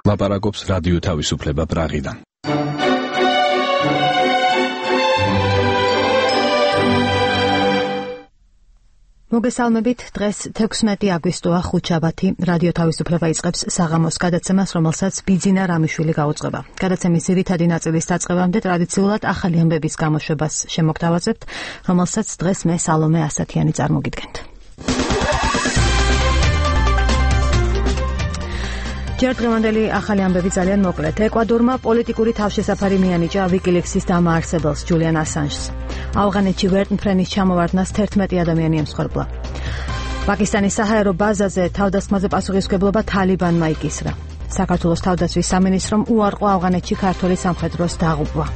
ლაპარაკობს რადიო თავისუფლება პრაღიდან. მოგესალმებით, დღეს 16 აგვისტოა ხუთშაბათი. რადიო თავისუფლება იწყებს საღამოს გადაცემას, რომელსაც ბიძინა რამიშვილი გაუძღვება. გადაცემის ძირითადი ნაწილის დაწყებამდე ტრადიციულად ახალი ამბების გამოშვებას შემოგთავაზებთ, რომელსაც დღეს მე სალომე ასათიანი წარმოგიდგენთ. ჯერ დღევანდელი ახალი ამბები ძალიან მოკლედ. ეკვადორმა პოლიტიკური თავშესაფარი მიანიჭა ვიკილიქსის დამაარსებელს ჯულიან ასანჟს. ავღანეთში ვერტმფრენის ჩამოვარდნას 11 ადამიანი ემსხვერპლა. პაკისტანის საჰაერო ბაზაზე თავდასხმაზე პასუხისმგებლობა თალიბანმა იკისრა. საქართველოს თავდაცვის სამინისტრომ უარყო ავღანეთში ქართველი სამხედროს დაღუპვა.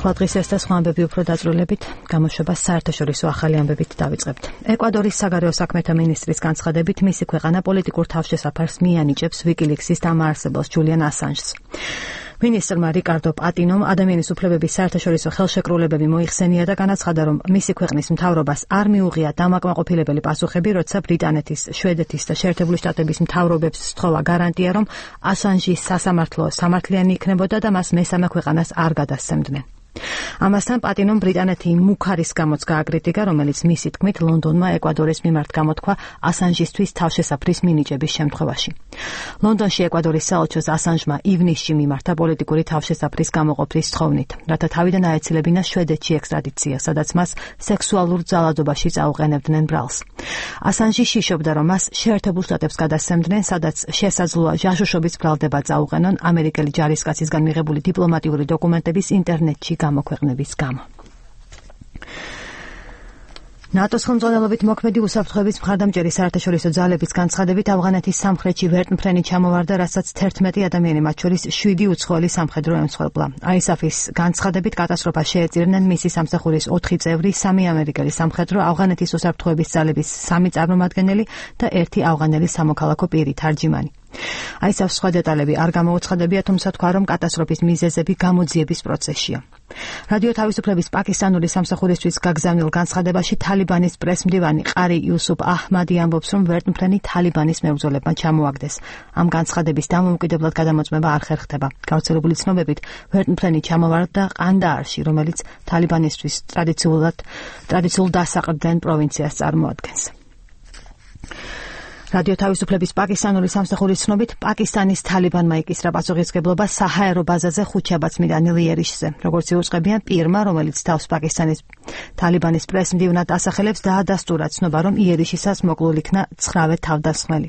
ახლა დღის ეს და სხვა ამბები უფრო დაწვრილებით, გამოშვებას საერთაშორისო ახალი ამბებით დავიწყებთ. ეკვადორის საგარეო საქმეთა მინისტრის განცხადებით, მისი ქვეყანა პოლიტიკურ თავშესაფარს მიანიჭებს ვიკილიქსის დამაარსებელს ჯულიან ასანჟს. მინისტრმა რიკარდო პატინომ ადამიანის უფლებების საერთაშორისო ხელშეკრულებები მოიხსენია და განაცხადა, რომ მისი ქვეყნის მთავრობას არ მიუღია დამაკმაყოფილებელი პასუხები, როცა ბრიტანეთის, შვედეთის და შეერთებული შტატების მთავრობებს სთხოვა გარანტია, რომ ასანჟი სასამართლო სამართლიანი იქნებოდა და მას მესამე ქვეყანას არ გადასცემდნენ. ამასთან პატინომ ბრიტანეთი მუქარის გამოც გააკრიტიკა, რომელიც მისი თქმით ლონდონმა ეკვადორის მიმართ გამოთქვა ასანჟისთვის თავშესაფრის მინიჭების შემთხვევაში. ლონდონში ეკვადორის საელჩოს ასანჟმა ივნისში მიმართა პოლიტიკური თავშესაფრის გამოყოფის თხოვნით, რათა თავიდან აეცილებინა შვედეთში ექსტრადიცია, სადაც მას სექსუალურ ძალადობაში წაუყენებდნენ ბრალს. ასანჟი შიშობდა, რომ მას შეერთებულ შტატებს გადასცემდნენ, სადაც შესაძლოა ჟაშუშობის ბრალდება წაუყენონ ამერიკელი ჯარისკაცისგან მიღებული დიპლომატიური დოკუმენტების ინტერნეტში გამოქვეყნების გამო. ნატოს ხელმძღვანელობით მოქმედი უსაფრთხოების მხარდამჭერი საერთაშორისო ძალების განცხადებით, ავღანეთის სამხრეთში ვერტმფრენი ჩამოვარდა, რასაც 11 ადამიანი, მათ შორის 7 უცხოელი სამხედრო ემსხვერპლა. ISAF-ის განცხადებით, კატასტროფას შეეწირნენ მისი სამსახურის 4 წევრი, 3 ამერიკელი სამხედრო, ავღანეთის უსაფრთხოების ძალების 3 წარმომადგენელი და 1 ავღანელი სამოქალაქო პირი თარჯიმანი. ISAF-ს სხვა დეტალები არ გამოუცხადებია, თუმცა თქვა, რომ კატასტროფის მიზეზები გამოძიების პროცესშია. რადიო თავისუფლების პაკისტანური სამსახურისთვის გაგზავნილ განცხადებაში თალიბანის პრესმდივანი ყარი იუსუფ აჰმადი ამბობს, რომ ვერტმფრენი თალიბანის მებრძოლებმა ჩამოაგდეს. ამ განცხადების დამოუკიდებლად გადამოწმება არ ხერხდება. გავრცელებული ცნობებით, ვერტმფრენი ჩამოვარდა ყანდაარში, რომელიც თალიბანისთვის ტრადიციულ დასაყრდენ პროვინციას წარმოადგენს. რადიო თავისუფლების პაკისტანური სამსახურის ცნობით, პაკისტანის თალიბანმა იკისრა პასუხისმგებლობა საჰაერო ბაზაზე ხუთშაბათს მიდანილ იერიშზე. როგორც იუწყებიან პირმა, რომელიც თავს პაკისტანის თალიბანის პრესმდივნად ასახელებს, დაადასტურა ცნობა, რომ იერიშისას მოკლულ იქნა 9 თავდასხმელი.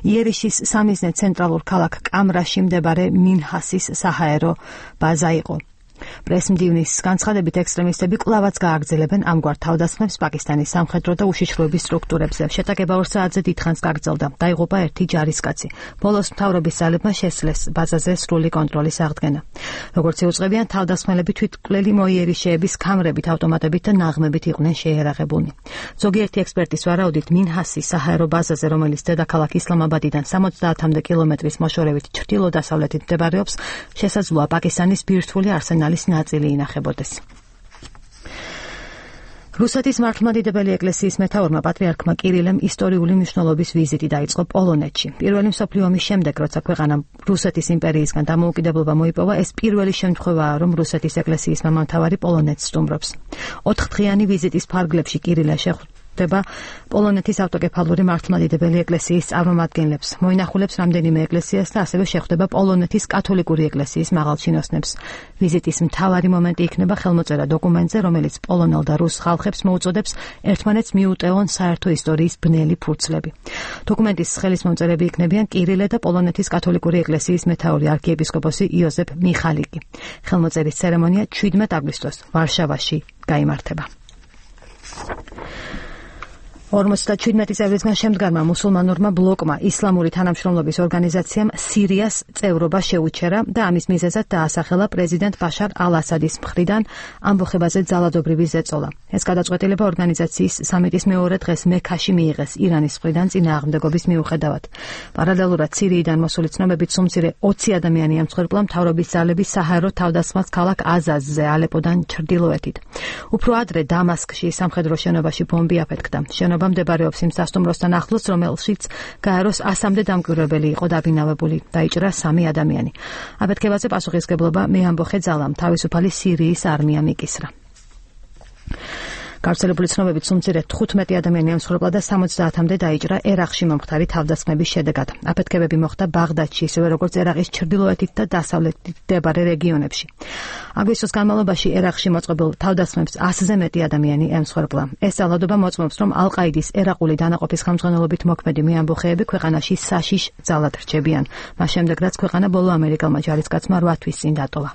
იერიშის სამიზნე ცენტრალურ ქალაქ კამრაში მდებარე მინჰასის საჰაერო ბაზა იყო. პრესმდივნის განცხადებით, ექსტრემისტები კვლავაც გააგრძელებენ ამგვარ თავდასხმებს პაკისტანის სამხედრო და უშიშროების სტრუქტურებზე. შეტაკება 2 საათზე დიდხანს გაგრძელდა. დაიღუპა 1 ჯარისკაცი. ბოლოს მთავრობის ძალებმა შესძლეს ბაზაზე სრული კონტროლის აღდგენა. როგორც იუწყებიან, თავდასხმელები თვითმკვლელი მოიერიშეების ქამრებით, ავტომატებით და ნაღმებით იყვნენ შეერაღებულნი. ზოგიერთი ექსპერტის ვარაუდით, მინჰასის საჰაერო ბაზაზე, რომელიც დედაქალაქ ისლამაბადიდან 70-მდე კილომეტრის მოშორებით ჩრდილო-დასავლეთით მდებარეობს, შესაძლოა პაკისტანის ბირთვული არსენალის ნაწილი ინახებოდეს. რუსეთის მართლმადიდებელი ეკლესიის მეთაურმა პატრიარქმა კირილემ ისტორიული მნიშვნელობის ვიზიტი დაიწყო პოლონეთში. პირველი მსოფლიო ომის შემდეგ, როცა ქვეყანამ რუსეთის იმპერიისგან დამოუკიდებლობა მოიპოვა, ეს პირველი შემთხვევაა, რომ რუსეთის ეკლესიის მამამთავარი პოლონეთს სტუმრობს. 4 დღიანი ვიზიტის ფარგლებში კირილე შეხვდება პოლონეთის ავტოკეფალური მართლმადიდებელი ეკლესიის წარმომადგენლებს, მოინახულებს რამდენიმე ეკლესიას და ასევე შეხვდება პოლონეთის კათოლიკური ეკლესიის მაღალჩინოსნებს. ვიზიტის მთავარი მომენტი იქნება ხელმოწერა დოკუმენტზე, რომელიც პოლონელ და რუს ხალხებს მოუწოდებს ერთმანეთს მიუტევონ საერთო ისტორიის ბნელი ფურცლები. დოკუმენტის ხელისმომწერები იქნებიან კირილე და პოლონეთის კათოლიკური ეკლესიის მეთაური არქიეპისკოპოსი იოზეფ მიხალიკი. ხელმოწერის ცერემონია 17 აგვისტოს ვარშავაში გაიმართება. 57 წევრისგან შემდგარმა მუსულმანურმა ბლოკმა ისლამური თანამშრომლობის ორგანიზაციამ სირიას წევრობა შეუჩერა და ამის მიზეზად დაასახელა პრეზიდენტ ბაშარ ალ-ასადის მხრიდან ამბოხებაზე ძალადობრივი ზეწოლა. ეს გადაწყვეტილება ორგანიზაციის სამიტის მეორე დღეს მექაში მიიღეს ირანის მხრიდან წინააღმდეგობის მიუხედავად. პარალელურად სირიიდან მოსული ცნობებით სუმცირე 20 ადამიანი ემსხვერპლა მთავრობის ძალების საჰაერო თავდასხმას ქალაქ აზაზზე ალეპოდან ჩრდილოეთით. უფრო ადრე დამასკში სამხედრო შენობაში ბომბი აფეთქდა. შენობა შენობა მდებარეობს იმ სასტუმროსთან ახლოს, რომელშიც გაეროს 100-მდე დამკვირვებელი იყო დაბინავებული. დაიჭრა 3 ადამიანი. აფეთქებაზე პასუხისმგებლობა მეამბოხე ძალამ, თავისუფალი სირიის არმიამ იკისრა. გავრცელებული ცნობებით სულ 15 ადამიანი ემსხვერპლა და 70-მდე დაიჭრა ერაყში მომხდარი თავდასხმების შედეგად. აფეთქებები მოხდა ბაღდადში, ისევე როგორც ერაყის ჩრდილოეთით და დასავლეთით მდებარე რეგიონებში. აგვისტოს განმავლობაში ერაყში მოწყობილ თავდასხმებს 100-ზე მეტი ადამიანი ემსხვერპლა. ეს ძალადობა მოწმობს, რომ ალ-ყაიდის ერაყული დანაყოფის ხელმძღვანელობით მოქმედი მეამბოხეები ქვეყანაში საშიშ ძალად რჩებიან. მას შემდეგ, რაც ქვეყანა ბოლო ამერიკელმა ჯარისკაცმა 8 თვის წინ დატოვა.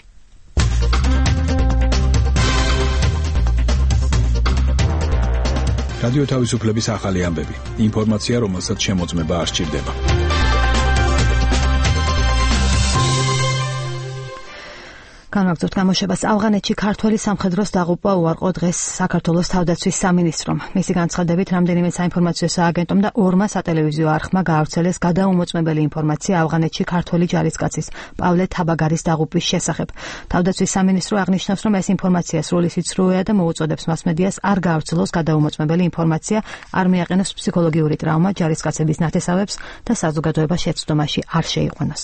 რადიო თავისუფლების ახალი ამბები. ინფორმაცია, რომელსაც შემოწმება არ სჭირდება. განვაგრძობთ გამოშვებას. ავღანეთში ქართველი სამხედროს დაღუპვა უარყო დღეს საქართველოს თავდაცვის სამინისტრომ. მისი განცხადებით, რამდენიმე საინფორმაციო სააგენტომ და 2 სატელევიზიო არხმა გაავრცელეს გადაუმოწმებელი ინფორმაცია ავღანეთში ქართველი ჯარისკაცის პავლე თაბაგარის დაღუპვის შესახებ. თავდაცვის სამინისტრო აღნიშნავს, რომ ეს ინფორმაცია სრული სიცრუეა და მოუწოდებს მასმედიას არ გაავრცელოს გადაუმოწმებელი ინფორმაცია, არ მიაყენოს ფსიქოლოგიური ტრავმა ჯარისკაცების ნათესავებს და საზოგადოებას შეცდომაში არ შეიყვანოს.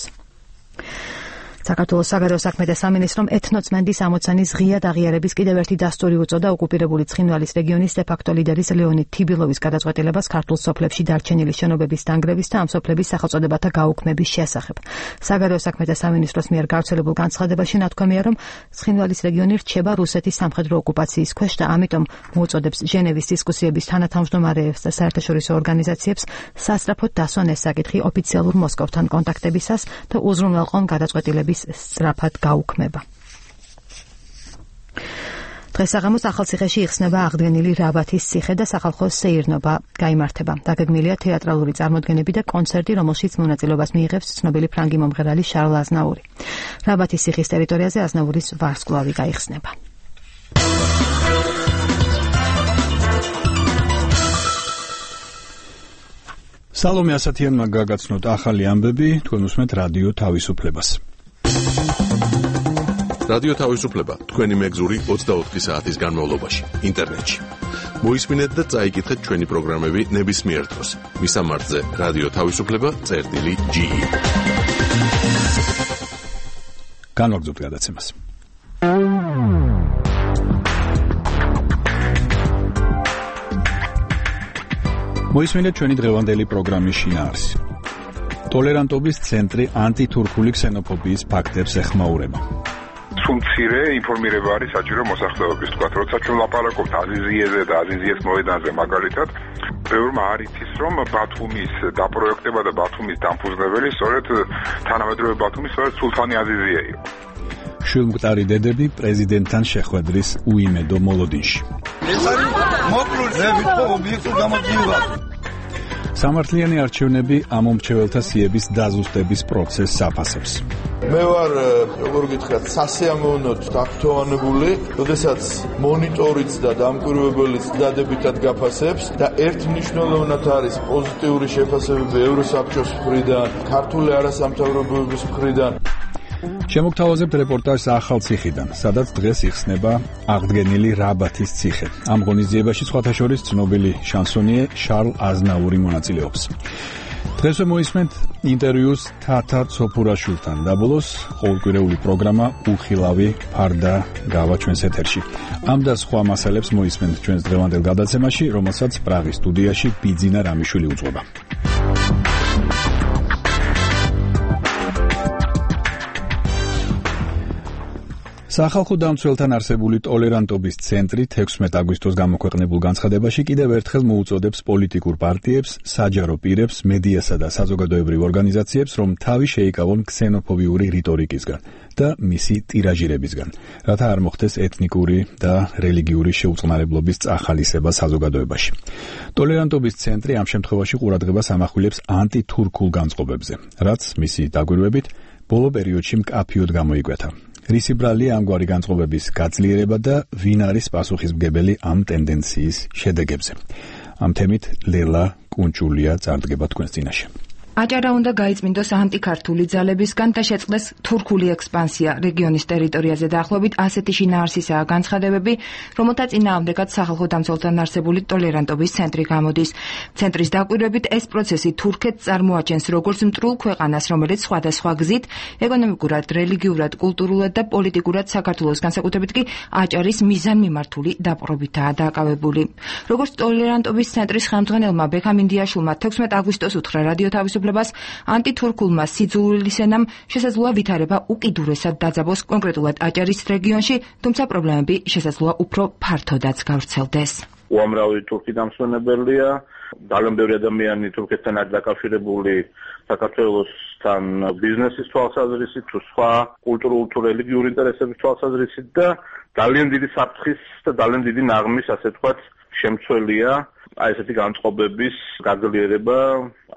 საქართველოს საგარეო საქმეთა სამინისტრომ ეთნოწმენდის ამოცანის ღია დაღიარების კიდევ ერთი დასტური უწოდა ოკუპირებული ცხინვალის რეგიონის დე-ფაქტო ლიდერის ლეონიდ თიბილოვის გადაწყვეტილებას ქართულ სოფლებში დარჩენილი შენობების დანგრევის და ამ სოფლების სახელწოდებათა გაუქმების შესახებ. საგარეო საქმეთა სამინისტროს მიერ გავრცელებულ განცხადებაში ნათქვამია, რომ ცხინვალის რეგიონი რჩება რუსეთის სამხედრო ოკუპაციის ქვეშ და ამიტომ მოუწოდებს ჟენევის დისკუსიების თანათავმჯდომარეებს და საერთაშორისო ორგანიზაციებს სასწრაფოდ დასვან ეს საკითხი ოფიციალურ მოსკოვთან კონტაქტებისას და უზრუნველყონ გადაწყვეტილების სწრაფად გაუქმება. დღეს საღამოს ახალციხეში იხსნება აღდგენილი რაბათის ციხე და სახალხო სეირნობა გაიმართება. დაგეგმილია თეატრალური წარმოდგენები და კონცერტი, რომელშიც მონაწილეობას მიიღებს ცნობილი ფრანგი მომღერალი შარლ აზნაური. რაბათის ციხის ტერიტორიაზე აზნაურის ვარსკვლავი გაიხსნება. სალომე ასათიანმა გაგაცნოთ ახალი ამბები, თქვენ უსმენთ რადიო თავისუფლებას. რადიო თავისუფლება თქვენი მეგზური 24 საათის განმავლობაში ინტერნეტში. მოისმინეთ და წაიკითხეთ ჩვენი პროგრამები ნებისმიერ დროს. მისამართზე რადიო თავისუფლება.ge. განვაგრძობთ გადაცემას. მოისმინეთ ჩვენი დღევანდელი პროგრამის შინაარსი. ტოლერანტობის ცენტრი ანტითურქული ქსენოფობიის ფაქტებს ეხმაურება. მცირე ინფორმირება არის საჭირო მოსახლეობის, თქვა, როცა ჩვენ ლაპარაკობთ აზიზიეზე და აზიზიეს მოედანზე მაგალითად, ბევრმა არ იცის, რომ ბათუმის დაპროექტება და ბათუმის დამფუძნებელი სწორედ თანამედროვე ბათუმის სწორედ სულთანი აზიზია იყო. შვილმკვდარი დედები პრეზიდენტთან შეხვედრის უიმედო მოლოდინში. ეს არის მოკლული, მე ვიტყო ობიექტურ გამოძიებას. სამართლიანი არჩევნები ამომრჩეველთა სიების დაზუსტების პროცესს აფასებს. მე ვარ, როგორ გითხრათ, სასიამოვნოდ დაქცევანებული, როდესაც მონიტორიც და დამკვირვებელიც დადებითად გაფასებს და ერთმნიშვნელოვნად არის პოზიტიური შეფასებები ევროსაბჭოს მხრიდან, ქართული არასამთავრობოების მხრიდან. შემოგთავაზებთ რეპორტაჟს ახალციხიდან, სადაც დღეს იხსნება აღდგენილი რაბათის ციხე. ამ ღონისძიებაში სხვათა შორის ცნობილი შანსონიე შარლ აზნაური მონაწილეობს. დღესვე მოისმენთ ინტერვიუს თათა ცოფურაშვილთან და ბოლოს ყოველკვირეული პროგრამა უხილავი ფარდა გავა ჩვენს ეთერში. ამ და სხვა მასალებს მოისმენთ ჩვენს დღევანდელ გადაცემაში, რომელსაც პრაღის სტუდიაში ბიძინა რამიშვილი უძღვება. სახალხო დამცველთან არსებული ტოლერანტობის ცენტრი 16 აგვისტოს გამოქვეყნებულ განცხადებაში კიდევ ერთხელ მოუწოდებს პოლიტიკურ პარტიებს, საჯარო პირებს, მედიასა და საზოგადოებრივ ორგანიზაციებს, რომ თავი შეიკავონ ქსენოფობიური რიტორიკისგან და მისი ტირაჟირებისგან, რათა არ მოხდეს ეთნიკური და რელიგიური შეუწყნარებლობის წახალისება საზოგადოებაში. ტოლერანტობის ცენტრი ამ შემთხვევაში ყურადღებას ამახვილებს ანტითურქულ განწყობებზე, რაც მისი დაგვირვებით ბოლო პერიოდში მკაფიოდ გამოიკვეთა. რისი ბრალია ამგვარი განწყობების გაძლიერება და ვინ არის პასუხისმგებელი ამ ტენდენციის შედეგებზე. ამ თემით ლელა კუნჭულია წარდგება თქვენს წინაშე. აჭარა უნდა გაიწმინდოს ანტიქართული ძალებისგან და შეწყდეს თურქული ექსპანსია რეგიონის ტერიტორიაზე. დაახლოებით ასეთი შინაარსისაა განცხადებები, რომელთა წინააღმდეგაც სახალხო დამცველთან არსებული ტოლერანტობის ცენტრი გამოდის. ცენტრის დაკვირვებით ეს პროცესი თურქეთს წარმოაჩენს როგორც მტრულ ქვეყანას, რომელიც სხვადასხვა გზით ეკონომიკურად, რელიგიურად, კულტურულად და პოლიტიკურად საქართველოს განსაკუთრებით კი აჭარის მიზანმიმართული დაპყრობითაა დაკავებული. როგორც ტოლერანტობის ცენტრის ხელმძღვანელმა ბექამ ინდიაშვილმა 16 აგვისტოს უთხრა რადიო თავისუფლებას, ანტითურქულმა სიძულვილის ენამ შესაძლოა ვითარება უკიდურესად დაძაბოს კონკრეტულად აჭარის რეგიონში, თუმცა პრობლემები შესაძლოა უფრო ფართოდაც გავრცელდეს. უამრავი თურქი დამსვენებელია, ძალიან ბევრი ადამიანი თურქეთთან არის დაკავშირებული საქართველოსთან ბიზნესის თვალსაზრისით, თუ სხვა კულტურულ თუ რელიგიური ინტერესების თვალსაზრისით და ძალიან დიდი საფრთხის და ძალიან დიდი ნაღმის, ასე ვთქვათ, შემცველია აი ესეთი განწყობების გაძლიერება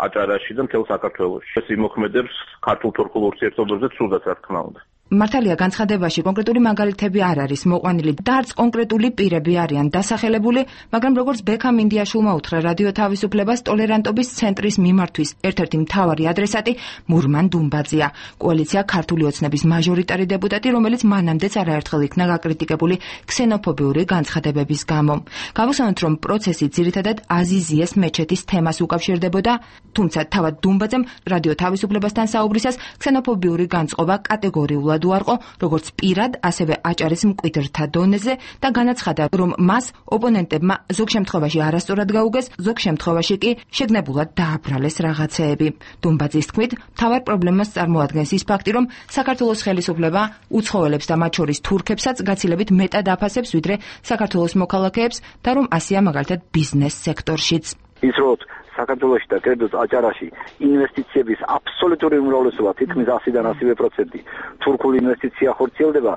აჭარაში და მთელ საქართველოში. ეს იმოქმედებს ქართულ-თურქულ ურთიერთობებზე ცუდად, რა თქმა უნდა. მართალია განცხადებაში კონკრეტული მაგალითები არ არის მოყვანილი და არც კონკრეტული პირები არიან დასახელებული, მაგრამ როგორც ბექამ ინდიაშვილმა უთხრა რადიო თავისუფლებას, ტოლერანტობის ცენტრის მიმართვის ერთ-ერთი მთავარი ადრესატი მურმან დუმბაძეა, კოალიცია ქართული ოცნების მაჟორიტარი დეპუტატი, რომელიც მანამდეც არაერთხელ იქნა გაკრიტიკებული ქსენოფობიური განცხადებების გამო. გავუსვენოთ, რომ პროცესი ძირითადად აზიზიეს მეჩეთის თემას უკავშირდებოდა, თუმცა თავად დუმბაძემ რადიო თავისუფლებასთან საუბრისას ქსენოფობიური განწყობა კატეგორიულად უარყო, როგორც პირად, ასევე აჭარის მკვიდრთა დონეზე და განაცხადა, რომ მას ოპონენტებმა ზოგ შემთხვევაში არასწორად გაუგეს, ზოგ შემთხვევაში კი შეგნებულად დააბრალეს რაღაცეები. დუმბაძის თქმით, მთავარ პრობლემას წარმოადგენს ის ფაქტი, რომ საქართველოს ხელისუფლება უცხოელებს და მათ შორის თურქებსაც გაცილებით მეტად აფასებს, ვიდრე საქართველოს მოქალაქეებს და რომ ასეა მაგალითად ბიზნეს სექტორშიც. ის რომ საქართველოში და კერძოდ აჭარაში ინვესტიციების აბსოლუტური უმრავლესობა თითქმის 100-დან 100% თურქული ინვესტიცია ხორციელდება,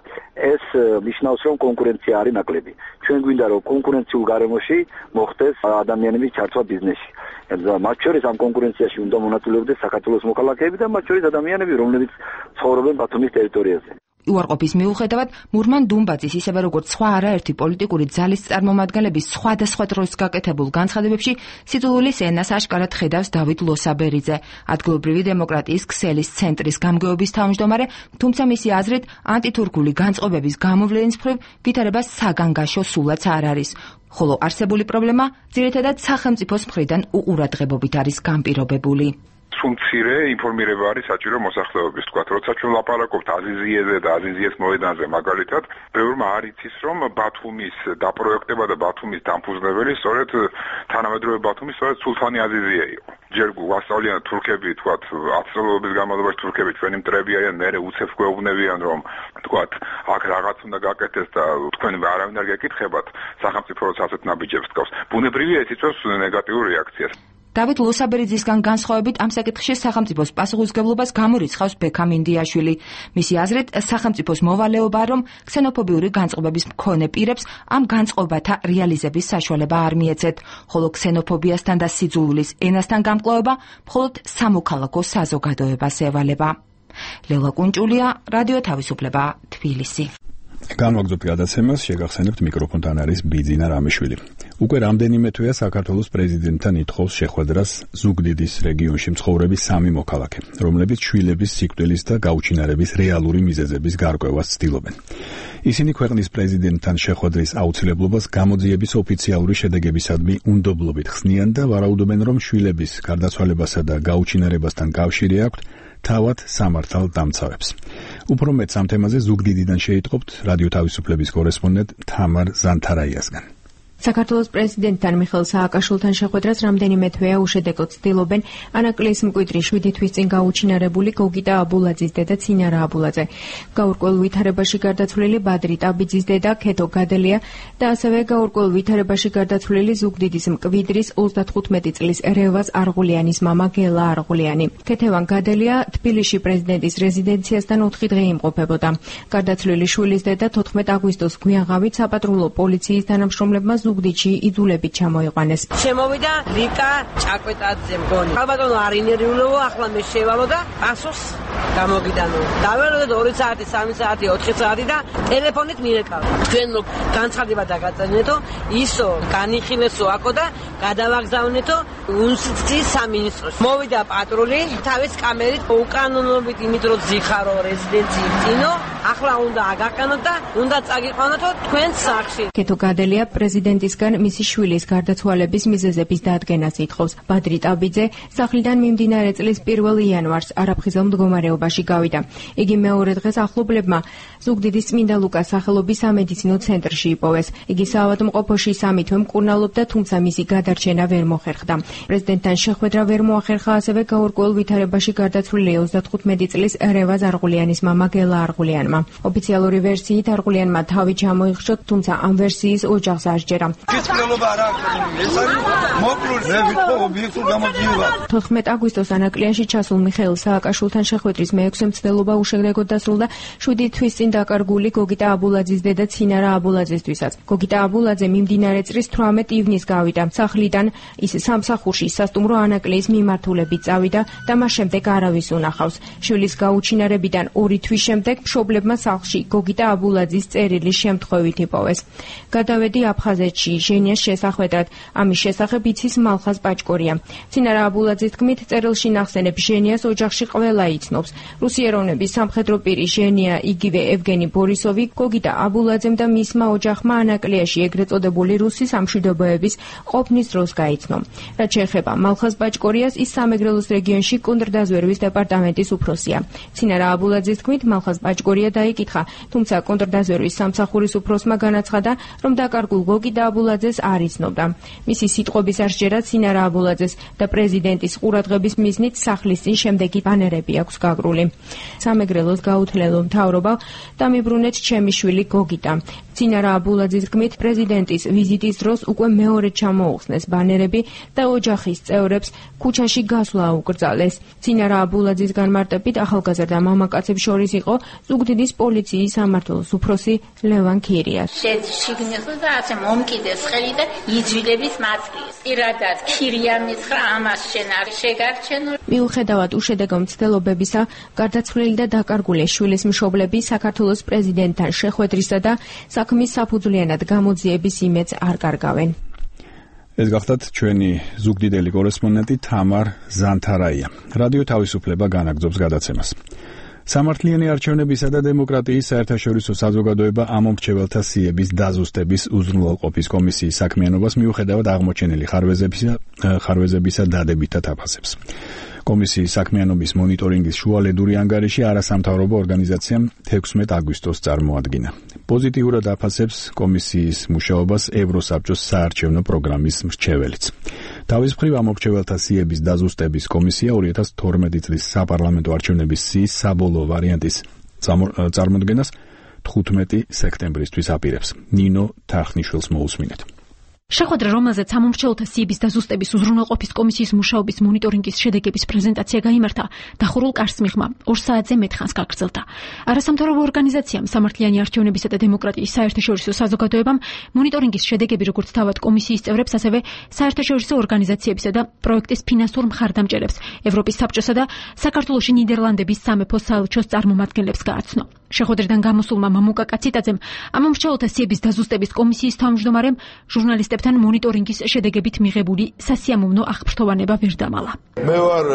ეს ნიშნავს, რომ კონკურენცია არის ნაკლები. ჩვენ გვინდა, რომ კონკურენციულ გარემოში მოხდეს ადამიანების ჩართვა ბიზნესში. მათ შორის ამ კონკურენციაში უნდა მონაწილეობდეს საქართველოს მოქალაქეები და მათ შორის ადამიანები, რომლებიც ცხოვრობენ ბათუმის ტერიტორიაზე. უარყოფის მიუხედავად, მურმან დუმბაძის ისევე როგორც სხვა არაერთი პოლიტიკური ძალის წარმომადგენლების სხვადასხვა დროს გაკეთებულ განცხადებებში სიძულვილის ენას აშკარად ხედავს დავით ლოსაბერიძე, ადგილობრივი დემოკრატიის ქსელის ცენტრის გამგეობის თავმჯდომარე, თუმცა მისი აზრით ანტითურქული განწყობების გამოვლენის მხრივ ვითარება საგანგაშო სულაც არ არის, ხოლო არსებული პრობლემა ძირითადად სახელმწიფოს მხრიდან უყურადღებობით არის განპირობებული. მცირე ინფორმირება არის საჭირო მოსახლეობის, თქვა, როცა ჩვენ ვლაპარაკობთ აზიზიეზე და აზიზიეს მოედანზე მაგალითად, ბევრმა არ იცის, რომ ბათუმის დაპროექტება და ბათუმის დამფუძნებელი სწორედ თანამედროვე ბათუმის სწორედ სულთანი აზიზია იყო. ჯერ გვასწავლიან თურქები, თქვა, 10 წლების განმავლობაში თურქები ჩვენი მტრები არიან, მერე უცებს გვეუბნებიან, რომ თქვა, აქ რაღაც უნდა გაკეთდეს და თქვენ არავინ არ გეკითხებათ, სახელმწიფო როცა ასეთ ნაბიჯებს თქავს. ბუნებრივია ეს იწვევს ნეგატიურ რეაქციას. დავით ლოსაბერიძისგან განსხვავებით ამ საკითხში სახელმწიფოს პასუხისმგებლობას გამორიცხავს ბექამ ინდიაშვილი. მისი აზრით, სახელმწიფოს მოვალეობაა, რომ ქსენოფობიური განწყობების მქონე პირებს ამ განწყობათა რეალიზების საშუალება არ მიეცეთ, ხოლო ქსენოფობიასთან და სიძულვილის ენასთან გამკლავება მხოლოდ სამოქალაქო საზოგადოებას ევალება. ლელა კუნჭულია, რადიო თავისუფლება, თბილისი. განვაგრძობთ გადაცემას, შეგახსენებთ მიკროფონთან არის ბიძინა რამიშვილი. უკვე რამდენიმე თვეა საქართველოს პრეზიდენტთან ითხოვს შეხვედრას ზუგდიდის რეგიონში მცხოვრები 3 მოქალაქე, რომლებიც შვილების სიკვდილის და გაუჩინარების რეალური მიზეზების გარკვევას ცდილობენ. ისინი ქვეყნის პრეზიდენტთან შეხვედრის აუცილებლობას გამოძიების ოფიციალური შედეგებისადმი უნდობლობით ხსნიან და ვარაუდობენ, რომ შვილების გარდაცვალებასა და გაუჩინარებასთან კავშირი აქვთ თავად სამართალ დამცავებს. უფრო მეტს ამ თემაზე ზუგდიდიდან შეიტყობთ რადიო თავისუფლების კორესპონდენტ თამარ ზანთარაიასგან. საქართველოს პრეზიდენტთან მიხეილ სააკაშვილთან შეხვედრას რამდენიმე თვეა უშედეგოდ ცდილობენ ანაკლიის მკვიდრი 7 თვის წინ გაუჩინარებული გოგიტა აბულაძის დედა ცინარა აბულაძე, გაურკვეველ ვითარებაში გარდაცვლილი ბადრი ტაბიძის დედა ქეთო გადელია და ასევე გაურკვეველ ვითარებაში გარდაცვლილი ზუგდიდის მკვიდრის 35 წლის რევაზ არღულიანის მამა გელა არღულიანი. ქეთევან გადელია თბილისში პრეზიდენტის რეზიდენციასთან 4 დღე იმყოფებოდა. გარდაცვლილი შვილის დედა 14 აგვისტოს გვიანღავით საპატრულო პოლიციის თანამშრომლებმა ზუგდიდში იძულებით ჩამოიყვანეს. შემოვიდა რიკა ჭაკვეტაძე მგონი. ალბათონო არ ინერვიულობო, ახლა მე შევალო და პასუხს გამოგიდანო. დაველოდეთ 2 საათი, 3 საათი, 4 საათი და ტელეფონით მირეკავ. თქვენ განცხადება დაგაწერიეთო, ისო განიხილესო აკო და გადავაგზავნეთო უნსიცის სამინისტროს. მოვიდა პატრული, თავის კამერით უკანონობით იმით რომ ზიხარო რეზიდენციის წინო, ახლა უნდა აგაყენოთ და უნდა წაგიყვანოთო თქვენ სახლში. კეთო გადელია პრეზიდენტისგან მისი შვილის გარდაცვალების მიზეზების დადგენას ითხოვს. ბადრი ტაბიძე სახლიდან მიმდინარე წლის 1 იანვარს არაფხიზელ მდგომარეობაში გავიდა. იგი მეორე დღეს ახლობლებმა ზუგდიდის წმინდა ლუკას სახელობის სამედიცინო ცენტრში იპოვეს. იგი საავადმყოფოში 3 თვე მკურნალობდა, თუმცა მისი გადარჩენა ვერ მოხერხდა. პრეზიდენტთან შეხვედრა ვერ მოახერხა ასევე გაურკვეველ ვითარებაში გარდაცვლილი 35 წლის რევაზ არღულიანის მამა გელა არღულიანმა. ოფიციალური ვერსიით არღულიანმა თავი ჩამოიხშო, თუმცა ამ ვერსიის ოჯახს არ სჯერა. კითხულობა არ აქვს. ეს არის მოკლული. მე ვიტყო ობიექტურ გამოძიება. 14 აგვისტოს ანაკლიაში ჩასულ მიხეილ სააკაშვილთან შეხვედრის მე-6 მცდელობა უშედეგოდ დასრულდა 7 თვის წინ დაკარგული გოგიტა აბულაძის დედა ცინარა აბულაძესთვისაც. გოგიტა აბულაძე მიმდინარე წლის 18 ივნისს გავიდა სახლიდან, ის სამსახურში სასტუმრო ანაკლიის მიმართულებით წავიდა და მას შემდეგ არავის უნახავს. შვილის გაუჩინარებიდან 2 თვის შემდეგ მშობლებმა სახლში გოგიტა აბულაძის წერილი შემთხვევით იპოვეს. გადავედი აფხაზეთში ჟენიას შესახვედრად, ამის შესახებ იცის მალხაზ პაჭკორია. ცინარა აბულაძის თქმით, წერილში ნახსენებს ჟენიას ოჯახში ყველა იცნობს. რუსიეროვნების სამხედრო პირი ჟენია, იგივე ევგენი ბორისოვი, გოგიტა აბულაძემ და მისმა ოჯახმა ანაკლიაში ეგრეთ წოდებული რუსი სამშვიდობოების ყოფნის დროს გაიცნო. რაც შეეხება მალხაზ პაჭკორიას, ის სამეგრელოს რეგიონში კონტრდაზვერვის დეპარტამენტის უფროსია. ცინარა აბულაძის თქმით, მალხაზ პაჭკორია დაიკითხა, თუმცა კონტრდაზვერვის სამსახურის უფროსმა განაცხადა, რომ დაკარგულ გოგიტა აბულაძეს არ იცნობდა. მისი სიტყვების არ სჯერა ცინარა აბულაძეს და პრეზიდენტის ყურადღების მიზნით სახლის წინ შემდეგი ბანერები აქვს გაგრული. სამეგრელოს გაუთლელო მთავრობა დამიბრუნეთ ჩემი შვილი გოგიტა. ცინარა აბულაძის თქმით, პრეზიდენტის ვიზიტის დროს უკვე მეორე ჩამოუხსნეს ბანერები და ოჯახის წევრებს ქუჩაში გასვლა აუკრძალეს. ცინარა აბულაძის განმარტებით, ახალგაზრდა მამაკაცებს შორის იყო ზუგდიდის პოლიციის სამმართველოს უფროსი ლევან ქირია. შიგნიწყო და ასე მომკიდეს ხელი და იძვილების მაწკრის. პირადად ქირია მითხრა, ამას შენ არ შეგარჩენო. მიუხედავად უშედეგო მცდელობებისა, გარდაცვლილი და დაკარგული შვილის მშობლები საქართველოს პრეზიდენტთან შეხვედრისა და საქმის საფუძვლიანად გამოძიების იმედს არ კარგავენ. ეს გახლავთ ჩვენი ზუგდიდელი კორესპონდენტი თამარ ზანთარაია. რადიო თავისუფლება განაგრძობს გადაცემას. სამართლიანი არჩევნებისა და დემოკრატიის საერთაშორისო საზოგადოება ამომრჩეველთა სიების დაზუსტების უზრუნველყოფის კომისიის საქმიანობას მიუხედავად აღმოჩენილი ხარვეზებისა დადებითად აფასებს. კომისიის საქმიანობის მონიტორინგის შუალედური ანგარიში არასამთავრობო ორგანიზაციამ 16 აგვისტოს წარმოადგინა. პოზიტიურად აფასებს კომისიის მუშაობას ევროსაბჭოს საარჩევნო პროგრამის მრჩეველიც. თავის მხრივ ამომრჩეველთა სიების დაზუსტების კომისია 2012 წლის საპარლამენტო არჩევნების სიის საბოლოო ვარიანტის წარმოდგენას 15 სექტემბრისთვის აპირებს. ნინო თახნიშვილს მოусმინეთ. შეხვედრა, რომელზეც ამომრჩეველთა სიების დაზუსტების უზრუნველყოფის კომისიის მუშაობის მონიტორინგის შედეგების პრეზენტაცია გაიმართა, დახურულ კარს მიღმა 2 საათზე მეტ ხანს გაგრძელდა. არასამთავრობო ორგანიზაციამ სამართლიანი არჩევნებისა და დემოკრატიის საერთაშორისო საზოგადოებამ მონიტორინგის შედეგები როგორც თავად კომისიის წევრებს, ასევე საერთაშორისო ორგანიზაციებისა და პროექტის ფინანსურ მხარდამჭერებს, ევროპის საბჭოსა და საქართველოში ნიდერლანდების სამეფო საელჩოს წარმომადგენლებს გააცნო. შეხვედრიდან გამოსულმა მამუკა კაციტაძემ ამომრჩეველთა სიების დაზუსტების კომისიის თავმჯდომარემ ჟურნალისტებთან მონიტორინგის შედეგებით მიღებული სასიამოვნო აღფრთოვანება ვერ დამალა. მე ვარ,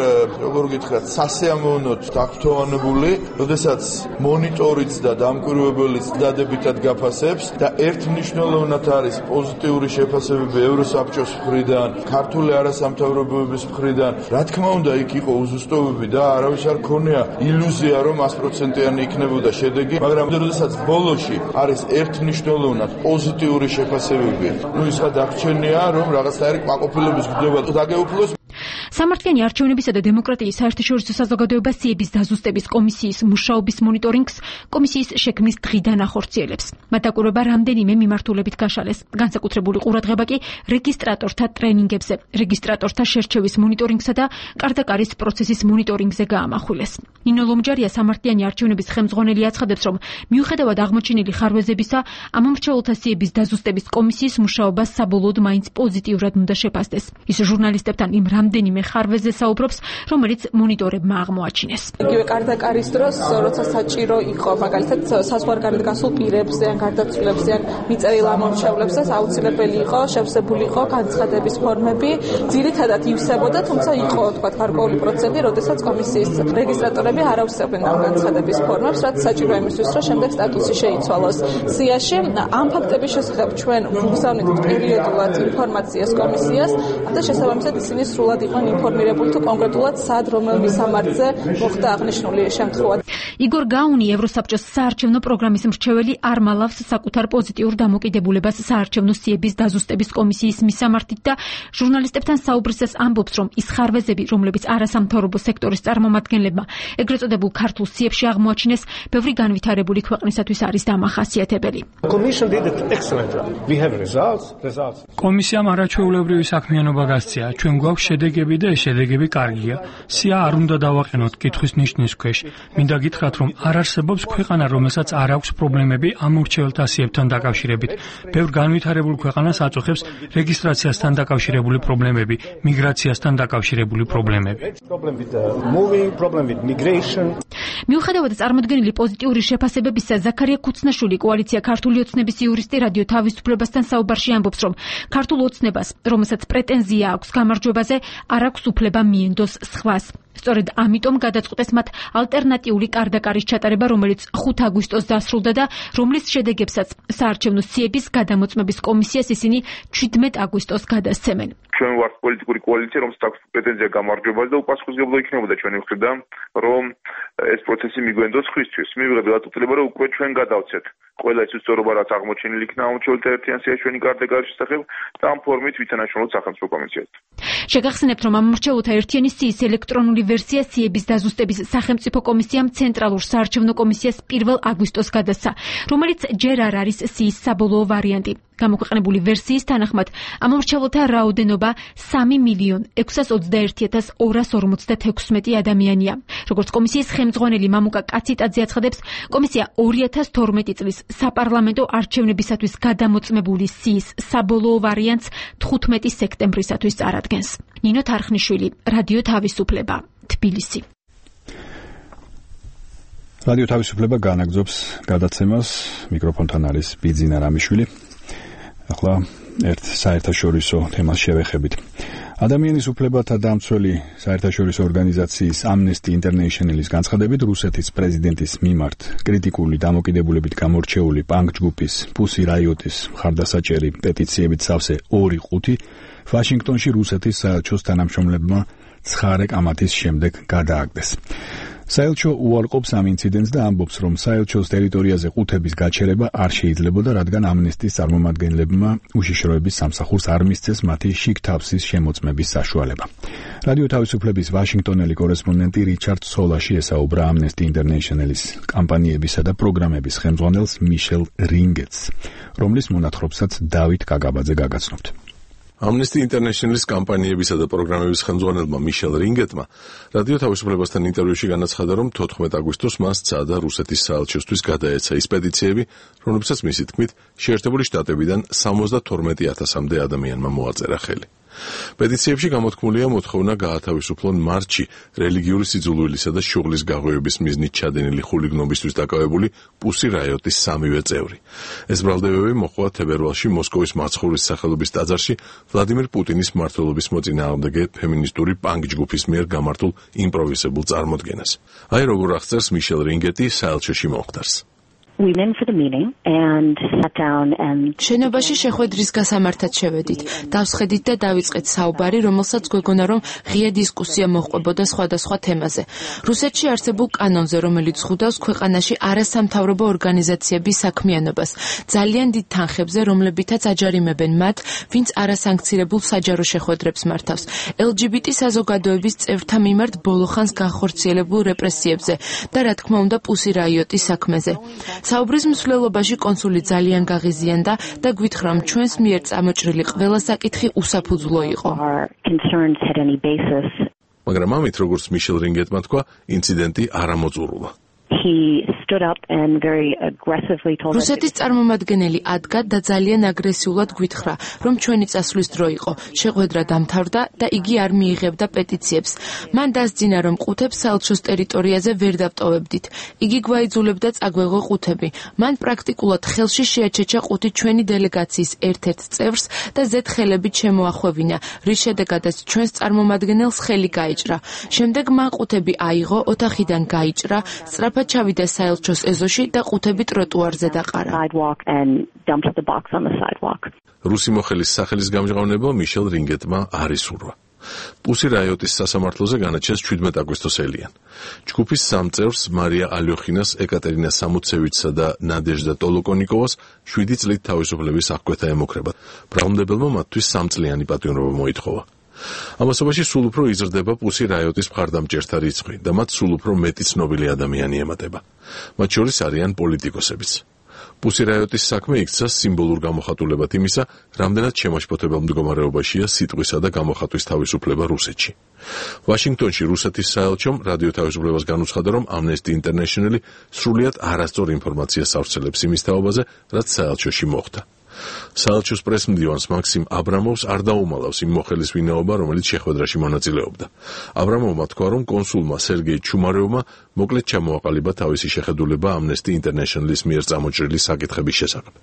როგორ გითხრათ, სასიამოვნოდ აღფრთოვანებული, როდესაც მონიტორიც და დამკვირვებელიც დადებითად გაფასებს და ერთმნიშვნელოვნად არის პოზიტიური შეფასებები ევროსაბჭოს მხრიდან, ქართული არასამთავრობოების მხრიდან. რა თქმა უნდა, იქ იყო უზუსტობები და არავის არ ქონია ილუზია, რომ 100%-იანი იქნებოდა შედეგი, მაგრამ როდესაც ბოლოში არის ერთმნიშვნელოვნად პოზიტიური შეფასებები, ის გადარჩენია, რომ რაღაცნაირი კმაყოფილების გრძნობა დაგეუფლოს. სამართლიანი არჩევნებისა და დემოკრატიის საერთაშორისო საზოგადოება სიების დაზუსტების კომისიის მუშაობის მონიტორინგს კომისიის შექმნის დღიდან ახორციელებს. მათ დაკვირვება რამდენიმე მიმართულებით გაშალეს. განსაკუთრებული ყურადღება კი რეგისტრატორთა ტრენინგებზე, რეგისტრატორთა შერჩევის მონიტორინგსა და კარდაკარის პროცესის მონიტორინგზე გაამახვილეს. ნინო ლომჯარია სამართლიანი არჩევნების ხელმძღვანელი აცხადებს, რომ მიუხედავად აღმოჩენილი ხარვეზებისა, ამომრჩეველთა სიების დაზუსტების კომისიის მუშაობა საბოლოოდ მაინც პოზიტიურად უნდა შეფასდეს. ის ჟურნალისტებთან იმ რამდენიმე ხარვეზზე საუბრობს, რომელიც მონიტორებმა აღმოაჩინეს. იგივე კარდაკარის დროს, როცა საჭირო იყო, მაგალითად, საზღვარგარეთ გასულ პირებზე ან გარდაცვლილებზე ან მიწერილ ამომრჩევლებზე აუცილებელი იყო შევსებული იყო განცხადების ფორმები, ძირითადად ივსებოდა, თუმცა იყო, თქვა, გარკვეული პროცენტი, როდესაც კომისიის რეგისტრატორები არ ავსებდნენ ამ განცხადების ფორმებს, რაც საჭირო იმისთვის, რომ შემდეგ სტატუსი შეიცვალოს სიაში. ამ ფაქტების შესახებ ჩვენ ვუგზავნით პერიოდულად ინფორმაციას კომისიას და შესაბამისად ისინი სრულად იყვნენ ინფორმირებული თუ კონკრეტულად სად რომელ მისამართზე მოხდა აღნიშნული შემთხვევა. იგორ გაუნი, ევროსაბჭოს საარჩევნო პროგრამის მრჩეველი, არ მალავს საკუთარ პოზიტიურ დამოკიდებულებას საარჩევნო სიების დაზუსტების კომისიის მისამართით და ჟურნალისტებთან საუბრისას ამბობს, რომ ის ხარვეზები, რომლებიც არასამთავრობო სექტორის წარმომადგენლებმა ეგრეთ წოდებულ ქართულ სიებში აღმოაჩინეს, ბევრი განვითარებული ქვეყნისათვის არის დამახასიათებელი. კომისიამ არაჩვეულებრივი საქმიანობა გასწია. ჩვენ გვაქვს შედეგები და ეს შედეგები კარგია. სია არ უნდა დავაყენოთ კითხვის ნიშნის ქვეშ. მინდა გითხრათ, რომ არ არსებობს ქვეყანა, რომელსაც არ აქვს პრობლემები ამორჩეველთა სიებთან დაკავშირებით. ბევრ განვითარებულ ქვეყანას აწუხებს რეგისტრაციასთან დაკავშირებული პრობლემები, მიგრაციასთან დაკავშირებული პრობლემები. მიუხედავად წარმოდგენილი პოზიტიური შეფასებებისა, ზაქარია ქუცნაშვილი, კოალიცია ქართული ოცნების იურისტი, რადიო თავისუფლებასთან საუბარში ამბობს, რომ ქართულ ოცნებას, რომელსაც პრეტენზია აქვს გამარჯვებაზე, არ აქვს უფლება მიენდოს სხვას. სწორედ ამიტომ გადაწყვეტეს მათ ალტერნატიული კარდაკარის ჩატარება, რომელიც 5 აგვისტოს დასრულდა და რომლის შედეგებსაც საარჩევნო სიების გადამოწმების კომისიას ისინი 17 აგვისტოს გადასცემენ. ჩვენ ვართ პოლიტიკური კოალიცია, რომელსაც აქვს პრეტენზია გამარჯვებაზე და უპასუხისმგებლო იქნებოდა ჩვენი მხრიდან, რომ ეს პროცესი მიგვენდოს ხისთვის. მივიღეთ გაწყვეტილება, რომ უკვე ჩვენ გადავცეთ ყველა ის უსწორობა, რაც აღმოჩენილი იქნა ამორჩეველთა ერთიან სიაში ჩვენი კარდაკარის შესახებ და ამ ფორმით ვითანაშრომლოთ სახელმწიფო კომისიას. შეგახსენებთ, რომ ამორჩეველთა ერთიანი სიის ელექტრონული ვერსია სიების დაზუსტების სახელმწიფო კომისიამ ცენტრალურ საარჩევნო კომისიას 1 აგვისტოს გადასცა, რომელიც ჯერ არ არის სიის საბოლოო ვარიანტი. გამოქვეყნებული ვერსიის თანახმად ამორჩეველთა რაოდენობა 3,621,256 ადამიანია. როგორც კომისიის ხელმძღვანელი მამუკა კაციტაძე აცხადებს, კომისია 2012 წლის საპარლამენტო არჩევნებისათვის გადამოწმებული სიის საბოლოო ვარიანტს 15 სექტემბრისათვის წარადგენს. ნინო თარხნიშვილი, რადიო თავისუფლება, თბილისი. რადიო თავისუფლება განაგზობს გადაცემას, მიკროფონთან არის ბიძინა რამიშვილი. ახლა ერთ საერთაშორისო თემას შევეხებით. ადამიანის უფლებათა დამცველი საერთაშორისო ორგანიზაციის Amnesty International-ის განცხადებით, რუსეთის პრეზიდენტის მიმართ კრიტიკული დამოკიდებულებით გამორჩეული პანკ ჯგუფის Pussy Riot-ის მხარდასაჭერი პეტიციებით სავსე 2/5 ვაშინგტონში რუსეთის საელჩოს თანამშრომლებმა ცხარე კამათის შემდეგ გადააგდეს. საელჩო უარყოფს ამ ინციდენტს და ამბობს, რომ საელჩოს ტერიტორიაზე ყუთების გაჩერება არ შეიძლებოდა, რადგან ამნესტის წარმომადგენლებმა უშიშროების სამსახურს არ მისცეს მათი შიგ თავსის შემოწმების საშუალება. რადიო თავისუფლების ვაშინგტონელი კორესპონდენტი რიჩარდ სოლაში ესაუბრა Amnesty International-ის კამპანიებისა და პროგრამების ხელმძღვანელს მიშელ რინგეტს, რომლის მონათხრობსაც დავით კაგაბაძე გაგაცნობთ. Amnesty International-ის კამპანიებისა და პროგრამების ხელმძღვანელმა მიშელ რინგეტმა რადიო თავისუფლებასთან ინტერვიუში განაცხადა, რომ 14 აგვისტოს მას სცადა რუსეთის საელჩოსთვის გადაეცა ის პეტიციები, რომლებსაც მისი თქმით შეერთებული შტატებიდან 72,000-მდე ადამიანმა მოაწერა ხელი. პეტიციებში გამოთქმულია მოთხოვნა გაათავისუფლონ მარტში რელიგიური სიძულვილისა და შუღლის გაღვივების მიზნით ჩადენილი ხულიგნობისთვის დაკავებული Pussy Riot-ის 3-ვე წევრი. ეს ბრალდებები მოჰყვა თებერვალში მოსკოვის მაცხოვრის სახელობის ტაძარში ვლადიმერ პუტინის მმართველობის მოწინააღმდეგე ფემინისტური პანკ ჯგუფის მიერ გამართულ იმპროვიზებულ წარმოდგენას. აი როგორ აღწერს მიშელ რინგეტი საელჩოში მომხდარს. შენობაში შეხვედრის გასამართად შევედით. დავსხედით და დავიწყეთ საუბარი, რომელსაც გვეგონა რომ ღია დისკუსია მოჰყვებოდა სხვადასხვა თემაზე. რუსეთში არსებულ კანონზე, რომელიც ხვდავს ქვეყანაში არასამთავრობო ორგანიზაციების საქმიანობას, ძალიან დიდ თანხებზე, რომლებითაც აჯარიმებენ მათ, ვინც არასანქცირებულ საჯარო შეხვედრებს მართავს. LGBT საზოგადოების წევრთა მიმართ ბოლოხანს განხორციელებულ რეპრესიებზე და რა თქმა უნდა პუსი რაიოტის საქმეზე. საუბრის მსვლელობაში კონსული ძალიან გაღიზიანდა და გვითხრა, რომ ჩვენს მიერ წამოჭრილი ყველა საკითხი უსაფუძვლო იყო. მაგრამ ამით, როგორც მიშელ რინგეტმა თქვა, ინციდენტი არ ამოწურულა. რუსეთის წარმომადგენელი ადგა და ძალიან აგრესიულად გვითხრა, რომ ჩვენი წასვლის დრო იყო. შეხვედრა დამთავრდა და იგი არ მიიღებდა პეტიციებს. მან დასძინა, რომ ყუთებს საელჩოს ტერიტორიაზე ვერ დავტოვებდით. იგი გვაიძულებდა წაგვეღო ყუთები. მან პრაქტიკულად ხელში შეაჩეჩა ყუთი ჩვენი დელეგაციის ერთ-ერთ წევრს და ზედხელებით შემოახვევინა, რის შედეგადაც ჩვენს წარმომადგენელს ხელი გაიჭრა. შემდეგ მან ყუთები აიღო, ოთახიდან გაიჭრა, სწრაფად ჩავიდა საელჩოს ეზოში და ყუთები ტროტუარზე დაყარა. რუსი მოხელის სახელის გამჟღავნება მიშელ რინგეტმა არ ისურვა. პუსი რაიოტის სასამართლოზე განაჩენს 17 აგვისტოს ელიან. ჯგუფის სამ წევრს მარია ალიოხინას, ეკატერინა სამუცევიჩსა და ნადეჟდა ტოლოკონიკოვას 7 წლით თავისუფლების აღკვეთა ემუქრება. ბრალმდებელმა მათთვის 3 წლიანი პატიმრობა მოითხოვა. ამასობაში სულ უფრო იზრდება პუსი რაიოტის მხარდამჭერთა რიცხვი და მათ სულ უფრო მეტი ცნობილი ადამიანი ემატება. მათ შორის არიან პოლიტიკოსებიც. პუსი რაიოტის საქმე იქცა სიმბოლურ გამოხატულებად იმისა, რამდენად შემაშფოთებელ მდგომარეობაშია სიტყვისა და გამოხატვის თავისუფლება რუსეთში. ვაშინგტონში რუსეთის საელჩომ რადიო თავისუფლებას განუცხადა, რომ Amnesty International სრულიად არასწორ ინფორმაციას ავრცელებს იმის თაობაზე, რაც საელჩოში მოხდა. საელჩოს პრესმდივანს მაქსიმ აბრამოვს არ დაუმალავს იმ მოხელის ვინაობა, რომელიც შეხვედრაში მონაწილეობდა. აბრამოვმა თქვა, რომ კონსულმა სერგეი ჩუმარევმა მოკლედ ჩამოაყალიბა თავისი შეხედულება Amnesty International-ის მიერ წამოჭრილი საკითხების შესახებ.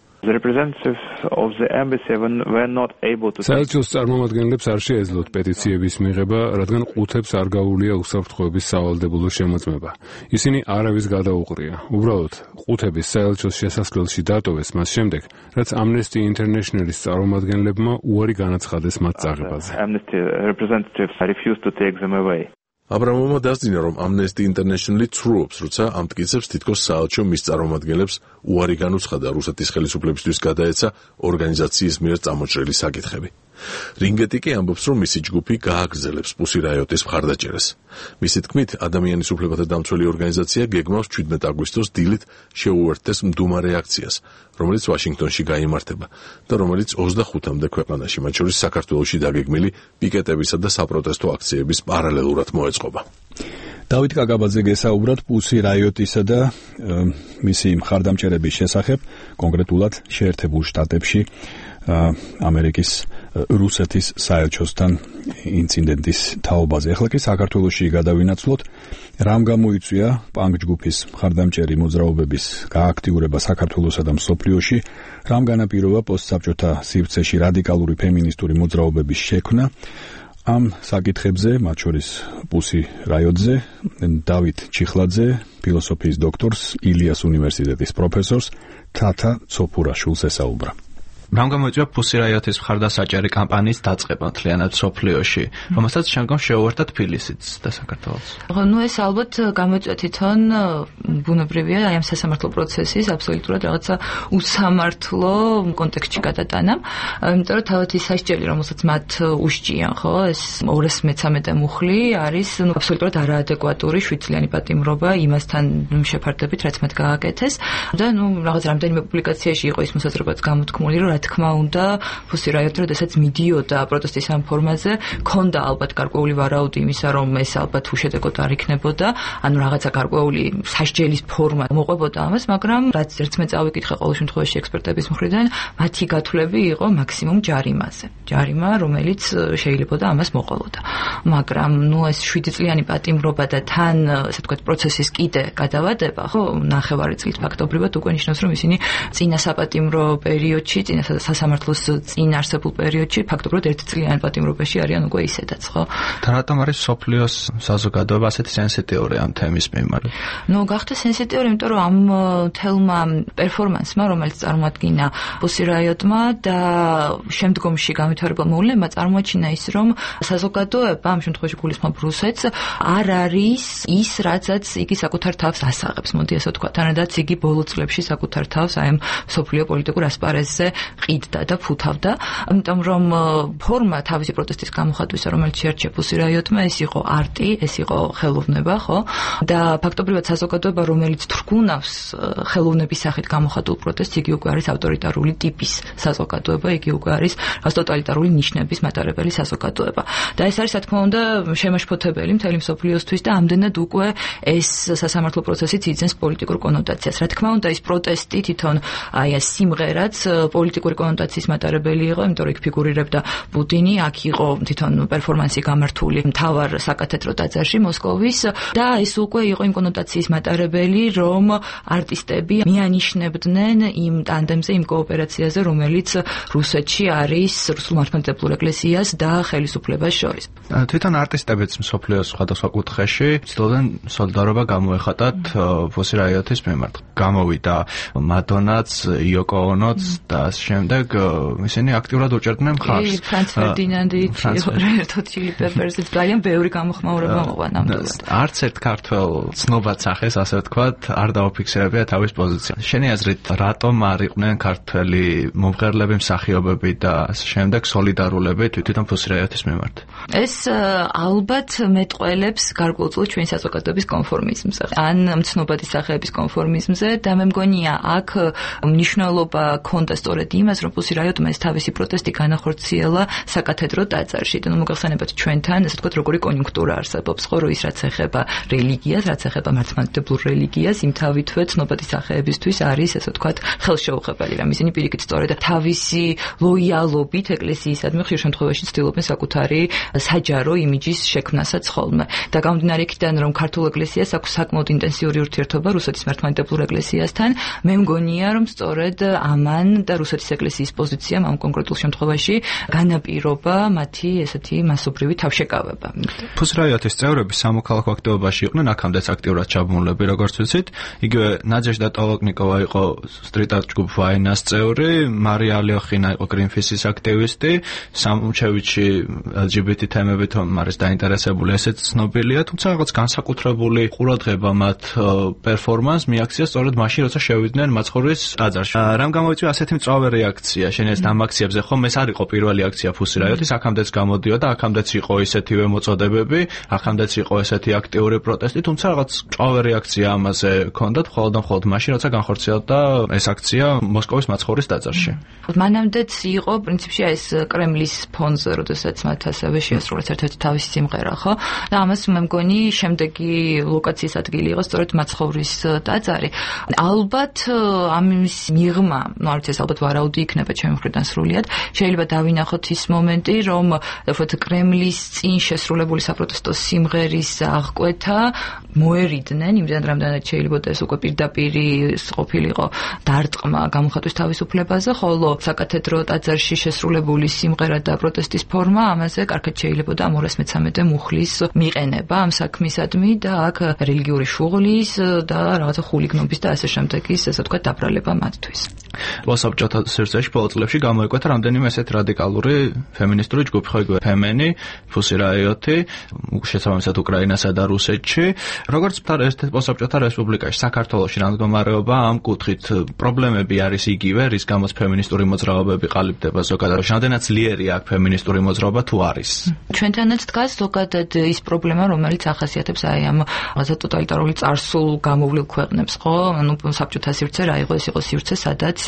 საელჩოს წარმომადგენლებს არ შეეძლოთ პეტიციების მიღება, რადგან ყუთებს არ გაუვლია უსაფრთხოების სავალდებულო შემოწმება. ისინი არავის გადაუყრია. უბრალოდ ყუთების საელჩოს შესასვლელში დატოვეს მას შემდეგ, რაც Amnesty International-ის წარმომადგენლებმა უარი განაცხადეს მათ წაღებაზე. აბრამოვმა დასძინა, რომ Amnesty International ცრუობს, როცა ამ მტკიცებს თითქოს საელჩო მის წარმომადგენლებს უარი განუცხადა რუსეთის ხელისუფლებისთვის გადაეცა ორგანიზაციის მიერ წამოჭრილი საკითხები. რინგეტი კი ამბობს, რომ მისი ჯგუფი გააგრძელებს პუსი რაიოტის მხარდაჭერას. მისი თქმით, ადამიანის უფლებათა დამცველი ორგანიზაცია გეგმავს 17 აგვისტოს დილით შეუერთდეს მდუმარე აქციას, რომელიც ვაშინგტონში გაიმართება და რომელიც 25-მდე ქვეყანაში, მათ შორის საქართველოში დაგეგმილი პიკეტებისა და საპროტესტო აქციების პარალელურად მოეწყობა. დავით კაკაბაძე გესაუბრათ პუსი რაიოტისა და მისი მხარდამჭერების შესახებ, კონკრეტულად შეერთებულ შტატებში ამერიკის რუსეთის საელჩოსთან ინციდენტის თაობაზე. ახლა კი საქართველოში გადავინაცვლოთ, რამ გამოიწვია პანკ ჯგუფის მხარდამჭერი მოძრაობების გააქტიურება საქართველოსა და მსოფლიოში, რამ განაპირობა პოსტსაბჭოთა სივრცეში რადიკალური ფემინისტური მოძრაობების შექმნა. ამ საკითხებზე, მათ შორის პუსი რაიოტზე, დავით ჩიხლაძე, ფილოსოფიის დოქტორს, ილიას უნივერსიტეტის პროფესორს თათა ცოფურაშვილს ესაუბრა. რამ გამოიწვია პუსი რაიოტის მხარდასაჭერი კამპანიის დაწყება მთლიანად სოფლიოში, რომელსაც შემდგომ შეუერთდა თბილისიც და საქართველოც. ეს ალბათ გამოიწვია თვითონ ბუნებრივია აი ამ სასამართლო პროცესის აბსოლუტურად რაღაცა უსამართლო კონტექსტში გადატანა, იმიტომ რომ თავად ის სასჯელი, რომელსაც მათ უშჭიან, ხო, ეს 213 მუხლი არის აბსოლუტურად არაადეკვატური 7 წლიანი პატიმრობა იმასთან შეფარდებით, რაც მათ გააკეთეს და რაღაც რამდენიმე პუბლიკაციაში იყო ის მოსაზრებაც გამოთქმული, რომ რა თქმა უნდა, პუსი რაიოტი, როდესაც მიდიოდა პროტესტის ამ ფორმაზე, ქონდა ალბათ გარკვეული ვარაუდი იმისა, რომ ეს ალბათ უშედეგოდ არ იქნებოდა, ანუ რაღაცა გარკვეული სასჯელის ფორმა მოყვებოდა ამას, მაგრამ რაც ერთ მე წავიკითხე ყოველ შემთხვევაში ექსპერტების მხრიდან, მათი გათვლები იყო მაქსიმუმ ჯარიმაზე. ჯარიმა, რომელიც შეიძლებოდა ამას მოყოლოდა. მაგრამ ეს 7 წლიანი პატიმრობა და თან, ასე ვთქვათ, პროცესის კიდე გადავადება, ხო, ნახევარი წლით ფაქტობრივად უკვე ნიშნავს, რომ ისინი წინა საპატიმრო პერიოდში, წინა სასამართლოს წინ არსებულ პერიოდში ფაქტობრივად ერთწლიან პატიმრობაში არიან უკვე ისედაც, ხო? და რატომ არის სოფლიოს საზოგადოება ასეთი სენსიტიური ამ თემის მიმართ? გახდა სენსიტიური, იმიტომ რომ ამ თელმა პერფორმანსმა, რომელიც წარმოადგინა პუსი რაიოტმა და შემდგომში განვითარებულ მოვლენებმა წარმოაჩინა ის, რომ საზოგადოება ამ შემთხვევაში გულისხმობ რუსეთს არ არის ის, რაცაც იგი საკუთარ თავს ასაღებს, მოდი ასე ვთქვა, თანადაც იგი ბოლო წლებში საკუთარ თავს აი ამ სოფლიო პოლიტიკურ ასპარეზზე ყიდდა და ფუთავდა, იმიტომ რომ ფორმა თავისი პროტესტის გამოხატვისა, რომელიც შეარჩია პუსი რაიოტმა, ეს იყო არტი, ეს იყო ხელოვნება, ხო? და ფაქტობრივად საზოგადოება, რომელიც თრგუნავს ხელოვნების სახით გამოხატულ პროტესტს, იგი უკვე არის ავტორიტარული ტიპის საზოგადოება, იგი უკვე არის ტოტალიტარული ნიშნების მატარებელი საზოგადოება. და ეს არის, რა თქმა უნდა, შემაშფოთებელი მთელი მსოფლიოსთვის და ამდენად უკვე ეს სასამართლო პროცესიც იძენს პოლიტიკურ კონოტაციას. რა თქმა უნდა, ეს პროტესტი თვითონ აი ეს სიმღერაც პოლიტიკური კონოტაციის მატარებელი იყო, იმიტომ რომ იქ ფიგურირებდა პუტინი, აქ იყო თვითონ პერფორმანსი გამართული მთავარ საკათედრო ტაძარში მოსკოვის და ეს უკვე იყო იმ კონოტაციის მატარებელი, რომ არტისტები მიანიშნებდნენ იმ ტანდემზე, იმ კოოპერაციაზე, რომელიც რუსეთში არის რუსულ მართლმადიდებლურ ეკლესიას და ხელისუფლებას შორის. თვითონ არტისტებიც მსოფლიოს სხვადასხვა კუთხეში ცდილობდნენ სოლიდარობა გამოეხატათ პუსი რაიოტის მიმართ. გამოვიდა მადონაც, იოკო ონოც და შემდეგ ისინი აქტიურად უჭერდნენ მხარს. ფრანც ფერდინანდი, ერთად ჩილი პეპერსი, ძალიან ბევრი გამოხმაურება მოყვა ნამდვილად. არც ერთ ქართველ ცნობად სახეს, ასე ვთქვათ, არ დაუფიქსირებია თავის პოზიცია. შენი აზრით, რატომ არ იყვნენ ქართველი მომღერლები, მსახიობები და შემდეგ სოლიდარულები თვითონ პუსი რაიოტის მიმართ? ეს ალბათ მეტყველებს გარკვეულწილად ჩვენი საზოგადოების კონფორმიზმზე, ან მცნობადი სახეების კონფორმიზმზე და მე მგონია აქ მნიშვნელობა ჰქონდა სწორედ იმას, რომ პუსი რაიოტმა ეს თავისი პროტესტი განახორციელა საკათედრო ტაძარში. და მოგახსენებათ ჩვენთან, ასე ვთქვათ, როგორი კონიუნქტურა არსებობს, ხო, რომ ის რაც ეხება რელიგიას, რაც ეხება მართლმადიდებლურ რელიგიას, იმ თავითვე ცნობადი სახეებისთვის არის, ასე ვთქვათ, ხელშეუხებელი, რომ ისინი პირიქით სწორედ თავისი ლოიალობით ეკლესიისადმი ხშირ შემთხვევაში ცდილობენ საკუთარი საჯარო იმიჯის შექმნასაც ხოლმე. და გამომდინარე იქიდან, რომ ქართულ ეკლესიას აქვს საკმაოდ ინტენსიური ურთიერთობა რუსეთის მართლმადიდებლურ ეკლესიასთან, მე მგონია, რომ სწორედ ამან და რუსეთის ეკლესიის პოზიციამ ამ კონკრეტულ შემთხვევაში განაპირობა მათი ესეთი მასობრივი თავშეკავება. პუსი რაიოტის წევრები სამოქალაქო აქტივობაში იყვნენ, აქამდეც აქტიურად ჩაბმულები, როგორც ვიცით. იგივე ნაძეჟდა ტოლოკნიკოვა იყო სტრიტ-არტ ჯგუფ ვაინას წევრი, მარია ალიოხინა იყო გრინფისის აქტივისტი, სამუჩევიჩი LGBT თემებით არის დაინტერესებული, ესეც ცნობილია, თუმცა რაღაც განსაკუთრებული ყურადღება მათ პერფორმანს მიაქცია სწორედ მაშინ, როცა შევიდნენ მაცხოვრის ტაძარში. რამ გამოიწვია ასეთი მწვავე რეაქცია? შენ ეს ამ აქციებზე ხომ ეს არ იყო პირველი აქცია პუსი რაიოტის, აქამდეც გამოდიოდა, აქამდეც იყო ისეთივე მოწოდებები, აქამდეც იყო ესეთი აქტიური პროტესტი, თუმცა რაღაც მწვავე რეაქცია ამაზე ჰქონდათ მხოლოდ მაშინ, როცა განხორციელდა ეს აქცია მოსკოვის მაცხოვრის ტაძარში. მანამდეც იყო პრინციპში ეს კრემლის ფონზე, როდესაც მათ ასევე შეასრულეს ერთ-ერთი თავისი სიმღერა, ხო? და ამას მე მგონი შემდეგი ლოკაციის ადგილი იყო სწორედ მაცხოვრის ტაძარი. ალბათ ამის მიღმა, არ ვიცი, ეს ალბათ ვარაუდი იქნება ჩემი მხრიდან სრულიად. შეიძლება დავინახოთ ის მომენტი, რომ ვთქვათ კრემლის წინ შესრულებული საპროტესტო სიმღერის აღკვეთა მოერიდნენ, იმდენ რამდენად შეიძლება ეს უკვე პირდაპირი ყოფილიყო დარტყმა გამოხატვის თავისუფლებაზე, ხოლო საკათედრო ტაძარში შესრულებული სიმღერა და პროტესტის ფორმა ამაზე კარგად შეიძლება და 213 მუხლის მიყენება ამ საქმისადმი და აქ რელიგიური შუღლის და რაღაცა ხულიგნობის და ასე შემდეგის, ასე ვთქვათ, დაბრალება მათთვის. საბჭოთა სივრცეში ბოლო წლებში გამოიკვეთა რამდენიმე ესეთ რადიკალური ფემინისტური ჯგუფი, ხო იგივე ფემენი, პუსი რაიოტი, შესაბამისად უკრაინასა და რუსეთში. როგორც საბჭოთა რესპუბლიკაში, საქართველოში რამდგომარეობა ამ კუთხით პრობლემები არის იგივე, რის გამოც ფემინისტური მოძრაობები ყალიბდება ზოგადად. რამდენად ძლიერია აქ ფემინისტური მოძრაობა თუ არის? ჩვენთანაც დგას ზოგადად ის პრობლემა, რომელიც ახასიათებს აი ამ რაღაცა ტოტალიტარული წარსულ გამოვლილ ქვეყნებს, ხო? ანუ საბჭოთა სივრცე რა იყო? ეს იყო სივრცე, სადაც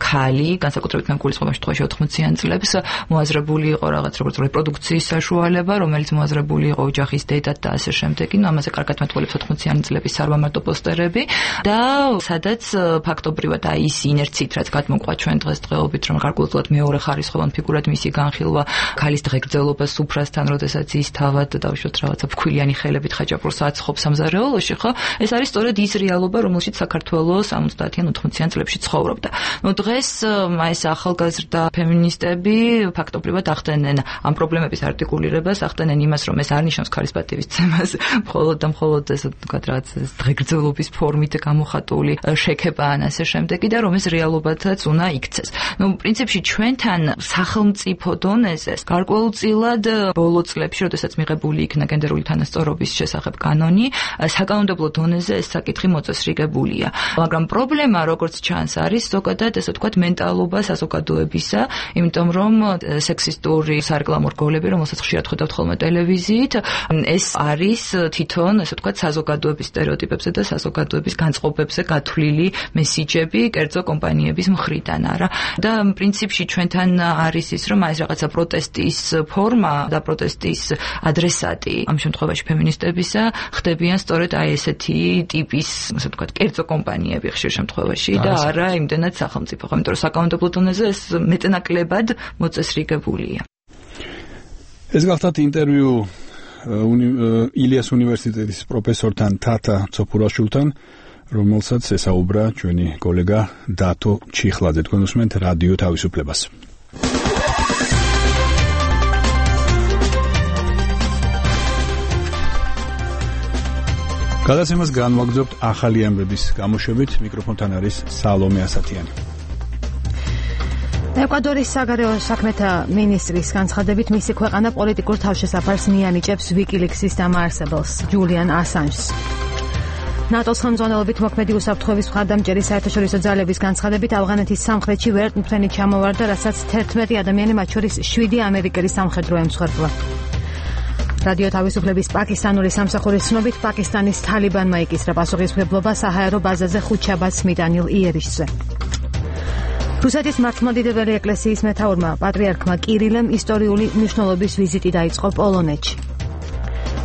ქალი, განსაკუთრებით მეგულის შემთხვევაში 80-იან წლებს მოაზრებული იყო რაღაც როგორც რეპროდუქციის საშუალება, რომელიც მოაზრებული იყო ოჯახის დედად და ასე შემდეგ. ნუ ამაზე კარგად მათვალებს 80-იანი წლების სარვამარტო პოსტერები და სადაც ფაქტობრივად აი ის ინერციით, რაც გადმოყვა ჩვენ დღესდღეობით, რომ გარკვეულწილად მეორე ხარისხოვან ფიგურად მისი განხილვა ქალის დღეგრძელობას სუფრასთან, როდესაც ის თავად დავუშვათ რაღაცა ფქვილიანი ხელებით ხაჭაპურს აცხობს სამზარეულოში, ხო? ეს არის სწორედ ის რეალობა, რომელშიც საქართველოს 70-იან 80-იან წლებში ცხოვრობდა. ნუ დღეს ეს ახალგაზრდა ფემინისტები ფაქტობრივად ახდენენ ამ პრობლემების არტიკულირებას, ახდენენ იმას, რომ ეს არ ნიშნავს ქარისპატივისცემას, მხოლოდ და მხოლოდ ესე ვთქვათ, რაღაც დღეგრძელობის ფორმით გამოხატული შექება ან ასე შემდეგი და რომ ეს რეალობათაც უნდა იქცეს. პრინციპში ჩვენთან სახელმწიფო დონეზე გარკვეულწილად ბოლო წლებში, როდესაც მიღებული იქნა გენდერული თანასწორობის შესახებ კანონი, საკანონმდებლო დონეზე ეს საკითხი მოწესრიგებულია. მაგრამ პრობლემა, როგორც ჩანს, არის ზოგადად ესე ვთქვათ მენტალობა საზოგადოებისა, იმიტომ რომ სექსისტური სარეკლამო რგოლები, რომელსაც ხშირად ხედავთ ხოლმე ტელევიზიით, ეს არის თვითონ ესე ვთქვათ საზოგადოების სტერეოტიპებზე და საზოგადოების განწყობებზე გათვლილი მესიჯები კერძო კომპანიების მხრიდან, არა? და პრინციპში ჩვენთან არის ის, რომ ეს რაღაცა პროტესტის ფორმა და პროტესტის ადრესატი ამ შემთხვევაში ფემინისტებისა ხდებიან სწორედ აი ესეთი ტიპის, ასე ვთქვათ, კერძო კომპანიები ხშირ შემთხვევაში და არა იმდენად სახელმწიფო, იმიტომ რომ საკანონმდებლო დონეზე ეს მეტნაკლებად მოწესრიგებულია. ეს გახლავთ ინტერვიუ ილიას უნივერსიტეტის პროფესორთან თათა ცოფურაშვილთან, რომელსაც ესაუბრა ჩვენი კოლეგა დათო ჩიხლაძე. თქვენ უსმენთ რადიო თავისუფლებას. გადაცემას განვაგრძობთ ახალი ამბების გამოშვებით. მიკროფონთან არის სალომე ასათიანი. ეკვადორის საგარეო საქმეთა მინისტრის განცხადებით, მისი ქვეყანა პოლიტიკურ თავშესაფარს მიანიჭებს ვიკილიქსის დამაარსებელს, ჯულიან ასანჟს. ნატოს ხელმძღვანელობით მოქმედი უსაფრთხოების მხარდამჭერი საერთაშორისო ძალების განცხადებით, ავღანეთის სამხრეთში ვერტმფრენი ჩამოვარდა, რასაც 11 ადამიანი, მათ შორის 7 ამერიკელი სამხედრო ემსხვერპლა. რადიო თავისუფლების პაკისტანური სამსახურის ცნობით, პაკისტანის თალიბანმა იკისრა პასუხისმგებლობა საჰაერო ბაზაზე ხუთშაბათს მიტანილ იერიშზე. რუსეთის მართლმადიდებელი ეკლესიის მეთაურმა პატრიარქმა კირილემ ისტორიული მნიშვნელობის ვიზიტი დაიწყო პოლონეთში.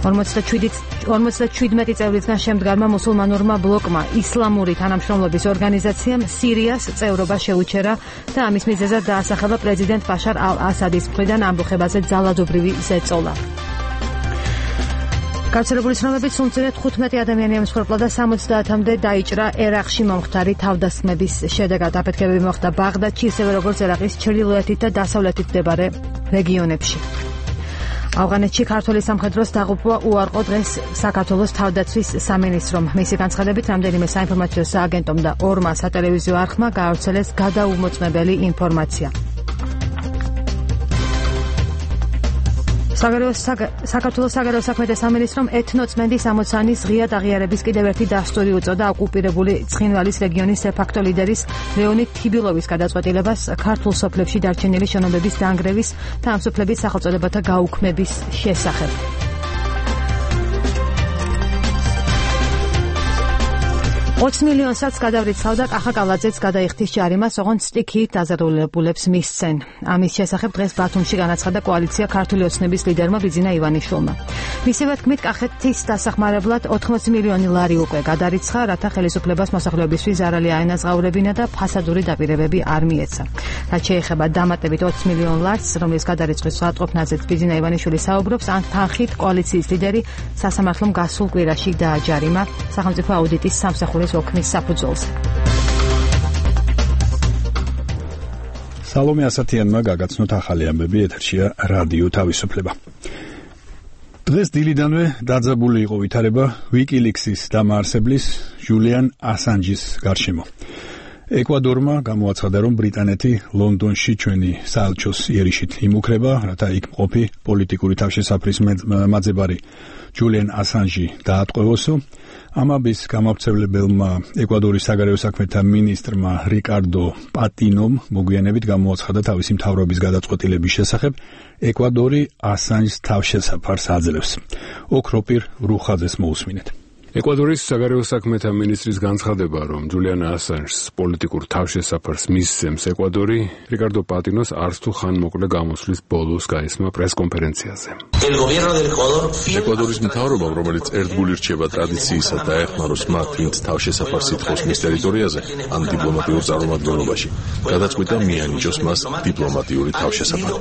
57 წევრისგან შემდგარმა მუსულმანურმა ბლოკმა ისლამური თანამშრომლობის ორგანიზაციამ სირიას წევრობა შეუჩერა და ამის მიზეზად დაასახელა პრეზიდენტ ბაშარ ალ-ასადის მხრიდან ამბოხებაზე ძალადობრივი ზეწოლა. გავრცელებული ცნობებით, სულ მცირედ 15 ადამიანი ემსხვერპლა და 70-მდე დაიჭრა ერაყში მომხდარი თავდასხმების შედეგად. აფეთქებები მოხდა ბაღდადში, ისევე როგორც ერაყის ჩრდილოეთით და დასავლეთით მდებარე რეგიონებში. ავღანეთში ქართული სამხედროს დაღუპვა უარყო დღეს საქართველოს თავდაცვის სამინისტრომ. მისი განცხადებით, რამდენიმე საინფორმაციო სააგენტომ და 2 სატელევიზიო არხმა გაავრცელეს გადაუმოწმებელი ინფორმაცია. საქართველოს საგარეო საქმეთა სამინისტრომ ეთნოწმენდის ამოცანის ღიად აღიარების კიდევ ერთი დასტური უწოდა ოკუპირებული ცხინვალის რეგიონის დე-ფაქტო ლიდერის ლეონიდ თიბილოვის გადაწყვეტილებას ქართულ სოფლებში დარჩენილი შენობების დაანგრევის და ამ სოფლების სახელწოდებათა გაუქმების შესახებ. $20 მილიონსაც გადავრიცხავ და კახა კალაძეც გადაიხდის ჯარიმას, ოღონდ სტიქიით დაზარალებულებს მისცენ. ამის შესახებ დღეს ბათუმში განაცხადა კოალიცია ქართული ოცნების ლიდერმა ბიძინა ივანიშვილმა. მისივე თქმით, კახეთის დასახმარებლად $80 მილიონი უკვე გადარიცხა, რათა ხელისუფლებას მოსახლეობისთვის ზარალი აენაზღაურებინა და ფასადური დაპირებები არ მიეცა. რაც შეეხება დამატებით $20 მილიონ ლარს, რომლის გადარიცხვის სრულყოფნაზეც ბიძინა ივანიშვილი საუბრობს, ან თანხით კოალიციის ლიდერი სასამართლომ გასულ კვირაში დააჯარიმა სახელმწიფო აუდიტის სამსახურის ოქმის საფუძველზე. სალომე ასათიანმა გაგაცნოთ ახალი ამბები, ეთერშია რადიო თავისუფლება. დღეს დილიდანვე დაძაბული იყო ვითარება ვიკილიქსის დამაარსებლის ჯულიან ასანჯის გარშემო. ეკვადორმა გამოაცხადა, რომ ბრიტანეთი ლონდონში ჩვენი საელჩოს იერიშით იმუქრება, რათა იქ მყოფი პოლიტიკური თავშესაფრის მაძებარი ჯულიან ასანჯი დაატყვევოსო. ამაბის გამავრცელებელმა ეკვადორის საგარეო საქმეთა მინისტრმა რიკარდო პატინომ მოგვიანებით გამოაცხადა თავისი მთავრობის გადაწყვეტილების შესახებ, ეკვადორი ასანჯს თავშესაფარს აძლევს. ოქროპირ რუხაძეს მოусმინეთ. ეკვადორის საგარეო საქმეთა მინისტრის განცხადება, რომ ჯულიან ასანჯს პოლიტიკურ თავშესაფარს მისცემს ეკვადორი, რიკარდო პატინოს არც თუ ხანმოკლე გამოსვლის ბოლოს გაისმა პრესკონფერენციაზე. ეკვადორის მთავრობამ, რომელიც ერთგული რჩება ტრადიციისა და ეხმაროს მათ, ვინც თავშესაფარს ითხოვს მის ტერიტორიაზე, ან დიპლომატიურ წარმომადგენლობაში, გადაწყვიტა მიანიჭოს მას დიპლომატიური თავშესაფარი.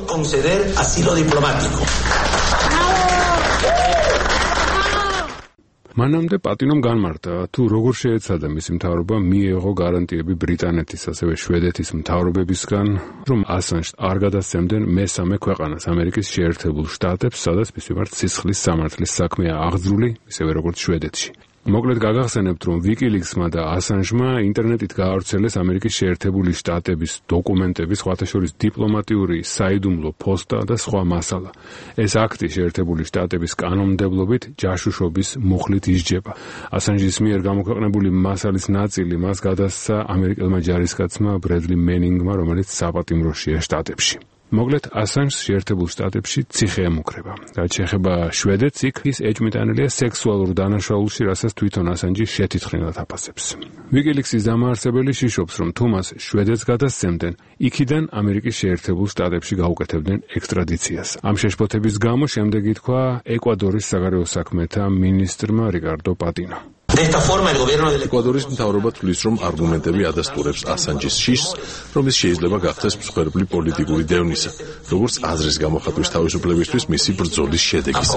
მანამდე პატინომ განმარტა, თუ როგორ შეეცადა მისი მთავრობა მიეღო გარანტიები ბრიტანეთის, ასევე შვედეთის მთავრობებისგან, რომ ასანჟს არ გადასცემდნენ მესამე ქვეყანას, ამერიკის შეერთებულ შტატებს, სადაც მის მიმართ სისხლის სამართლის საქმეა აღძრული, ისევე როგორც შვედეთში. მოკლედ გაგახსენებთ, რომ WikiLeaks-მა და ასანჟმა ინტერნეტით გაავრცელეს ამერიკის შეერთებული შტატების დოკუმენტები, სხვათა შორის დიპლომატიური საიდუმლო პოსტა და სხვა მასალა. ეს აქტი შეერთებული შტატების კანონმდებლობით ჯაშუშობის მუხლით ისჯება. ასანჟის მიერ გამოქვეყნებული მასალის ნაწილი მას გადასცა ამერიკელმა ჯარისკაცმა ბრედლი მენინგმა, რომელიც საპატიმროშია შტატებში. მოკლედ ასანჟს შეერთებულ შტატებში ციხე ემუქრება. რაც შეეხება შვედეთს, იქ ის ეჭვმიტანილია სექსუალურ დანაშაულში, რასაც თვითონ ასანჟი შეთითხრინად აფასებს. WikiLeaks-ის დამაარსებელი შიშობს, რომ თუ მას შვედეთს გადასცემდნენ, იქიდან ამერიკის შეერთებულ შტატებში გაუკეთებდნენ ექსტრადიციას. ამ შეშფოთების გამო შემდეგ ითქვა ეკვადორის საგარეო საქმეთა მინისტრმა რიკარდო პატინო. ეკვადორის მთავრობა თვლის, რომ არგუმენტები ადასტურებს ასანჯის შიშს, რომ ის შეიძლება გახდეს მსხვერპლი პოლიტიკური დევნისა, როგორც აზრის გამოხატვის თავისუფლებისთვის მისი ბრძოლის შედეგის.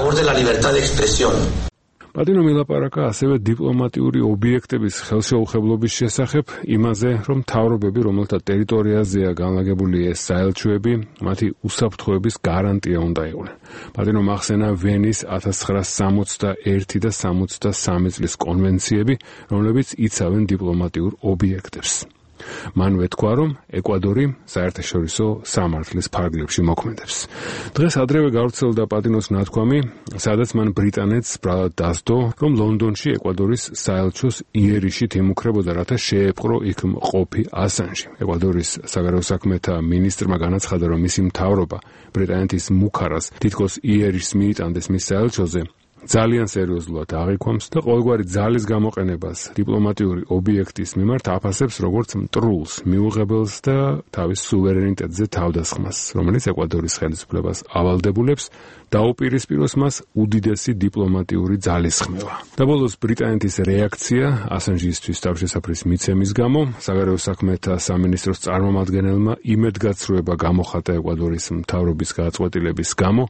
პატინო მილაპარაკა ასევე დიპლომატიური ობიექტების ხელშეუხებლობის შესახებ, იმაზე, რომ მთავრობები, რომელთა ტერიტორიაზეა განლაგებული ეს საელჩოები, მათი უსაფრთხოების გარანტია უნდა იყვნენ. პატინომ ახსენა ვენის 1961 და 63 წლის კონვენციები, რომლებიც იცავენ დიპლომატიურ ობიექტებს. მანვე თქვა, რომ ეკვადორი საერთაშორისო სამართლის ფარგლებში მოქმედებს. დღეს ადრევე გავრცელდა პატინოს ნათქვამი, სადაც მან ბრიტანეთს ბრალად დასდო, რომ ლონდონში ეკვადორის საელჩოს იერიშით იმუქრებოდა, რათა შეეპყრო იქ მყოფი ასანჟი. ეკვადორის საგარეო საქმეთა მინისტრმა განაცხადა, რომ მისი მთავრობა ბრიტანეთის მუქარას თითქოს იერიშს მიიტანდეს მის საელჩოზე, ძალიან სერიოზულად აღიქვამს და ყოველგვარი ძალის გამოყენებას დიპლომატიური ობიექტის მიმართ აფასებს როგორც მტრულს, მიუღებელს და თავის სუვერენიტეტზე თავდასხმას, რომელიც ეკვადორის ხელისუფლებას ავალდებულებს, დაუპირისპიროს მას უდიდესი დიპლომატიური ძალისხმევა. და ბოლოს ბრიტანეთის რეაქცია ასანჟისთვის თავშესაფრის მიცემის გამო, საგარეო საქმეთა სამინისტროს წარმომადგენელმა იმედგაცრუება გამოხატა ეკვადორის მთავრობის გადაწყვეტილების გამო,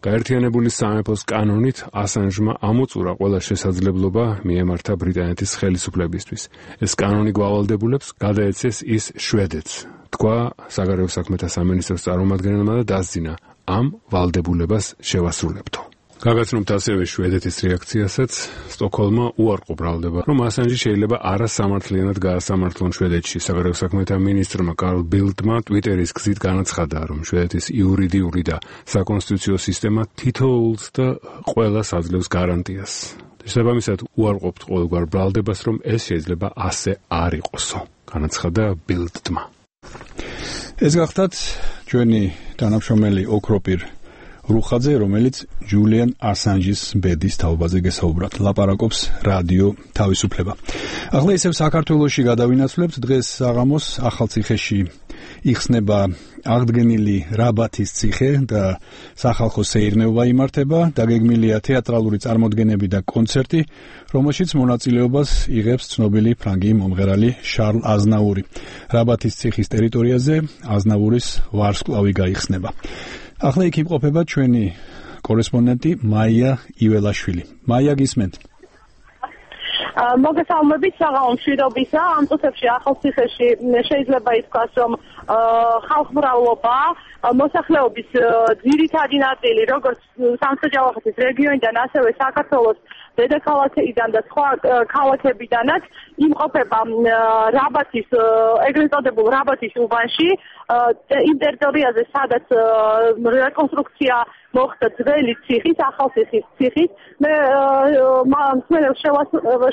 გაერთიანებული სამეფოს კანონით ასანჟმა ამოწურა ყველა შესაძლებლობა მიემართა ბრიტანეთის ხელისუფლებისთვის. ეს კანონი გვავალდებულებს გადაეცეს ის შვედეთს, თქვა საგარეო საქმეთა სამინისტროს წარმომადგენელმა და დასძინა ამ ვალდებულებას შევასრულებთო. გაგაცნობთ ასევე შვედეთის რეაქციასაც. სტოკჰოლმმა უარყო ბრალდება, რომ ასანჟი შეიძლება არასამართლიანად გაასამართლონ შვედეთში. საგარეო საქმეთა მინისტრმა კარლ ბილდმა ტვიტერის გზით განაცხადა, რომ შვედეთის იურიდიული და საკონსტიტუციო სისტემა თითოეულს და ყველას აძლევს გარანტიას. შესაბამისად უარყოფთ ყოველგვარ ბრალდებას, რომ ეს შეიძლება ასე არ იყოსო, განაცხადა ბილდმა. ეს გახდათ ჩვენი თანამშრომელი ოქროპირ რუხაძე, რომელიც ჯულიან ასანჟის ბედის თაობაზე გესაუბრათ. ლაპარაკობს რადიო თავისუფლება. ახლა ისევ საქართველოში გადავინაცვლებთ. დღეს საღამოს ახალციხეში იხსნება აღდგენილი რაბათის ციხე და სახალხო სეირნეობა იმართება. დაგეგმილია თეატრალური წარმოდგენები და კონცერტი, რომელშიც მონაწილეობას იღებს ცნობილი ფრანგი მომღერალი შარლ აზნაური. რაბათის ციხის ტერიტორიაზე აზნაურის ვარსკვლავი გაიხსნება. ახლა იქ იმყოფება ჩვენი კორესპონდენტი მაია იველაშვილი. მაია, გისმენთ? მოგესალმებით, საღამოს მშვიდობისა. ამ წუთებში ახალციხეში შეიძლება ითქვას, რომ ხალხმრავლობა, მოსახლეობის ძირითადი ნაწილი, როგორც სამცხე-ჯავახეთის რეგიონიდან, ასევე საქართველოს დედაქალაქიდან და სხვა ქალაქებიდანაც იმყოფება რაბათის, ეგრეთ წოდებულ რაბათის უბანში, იმ ტერიტორიაზე, სადაც რეკონსტრუქცია მოხდა ძველი ციხის, ახალციხის ციხის. მე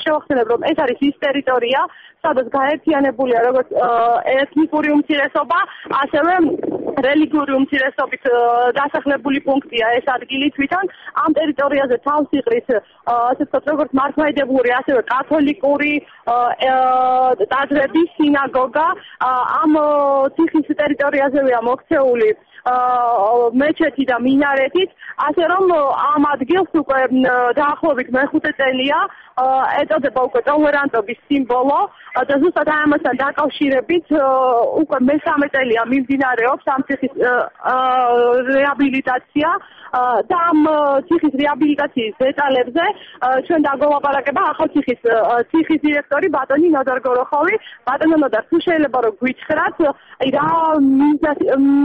შევახსენებ, რომ ეს არის ის ტერიტორია, სადაც გაერთიანებულია როგორც ეთნიკური უმცირესობა, ასევე რელიგიური უმცირესობით დასახლებული პუნქტია ეს ადგილი თვითონ. ამ ტერიტორიაზე თავს იყრის, ასე ვთქვათ, როგორც მართლმადიდებლური, ასევე კათოლიკური ტაძრები, სინაგოგა. ამ ციხის ტერიტორიაზეა მოქცეული მეჩეთი და მინარეთით, ასე რომ ამ ადგილს უკვე დაახლოებით მეხუთე წელია ეწოდება უკვე ტოლერანტობის სიმბოლო და ზუსტად ამასთან დაკავშირებით უკვე მესამე წელია მიმდინარეობს ამ ციხის რეაბილიტაცია და ამ ციხის რეაბილიტაციის დეტალებზე ჩვენ დაგველაპარაკება ახალციხის ციხის დირექტორი ბატონი ნოდარ გოროხოვი. ბატონო ნოდარ, თუ შეიძლება რომ გვიჩხრათ, რა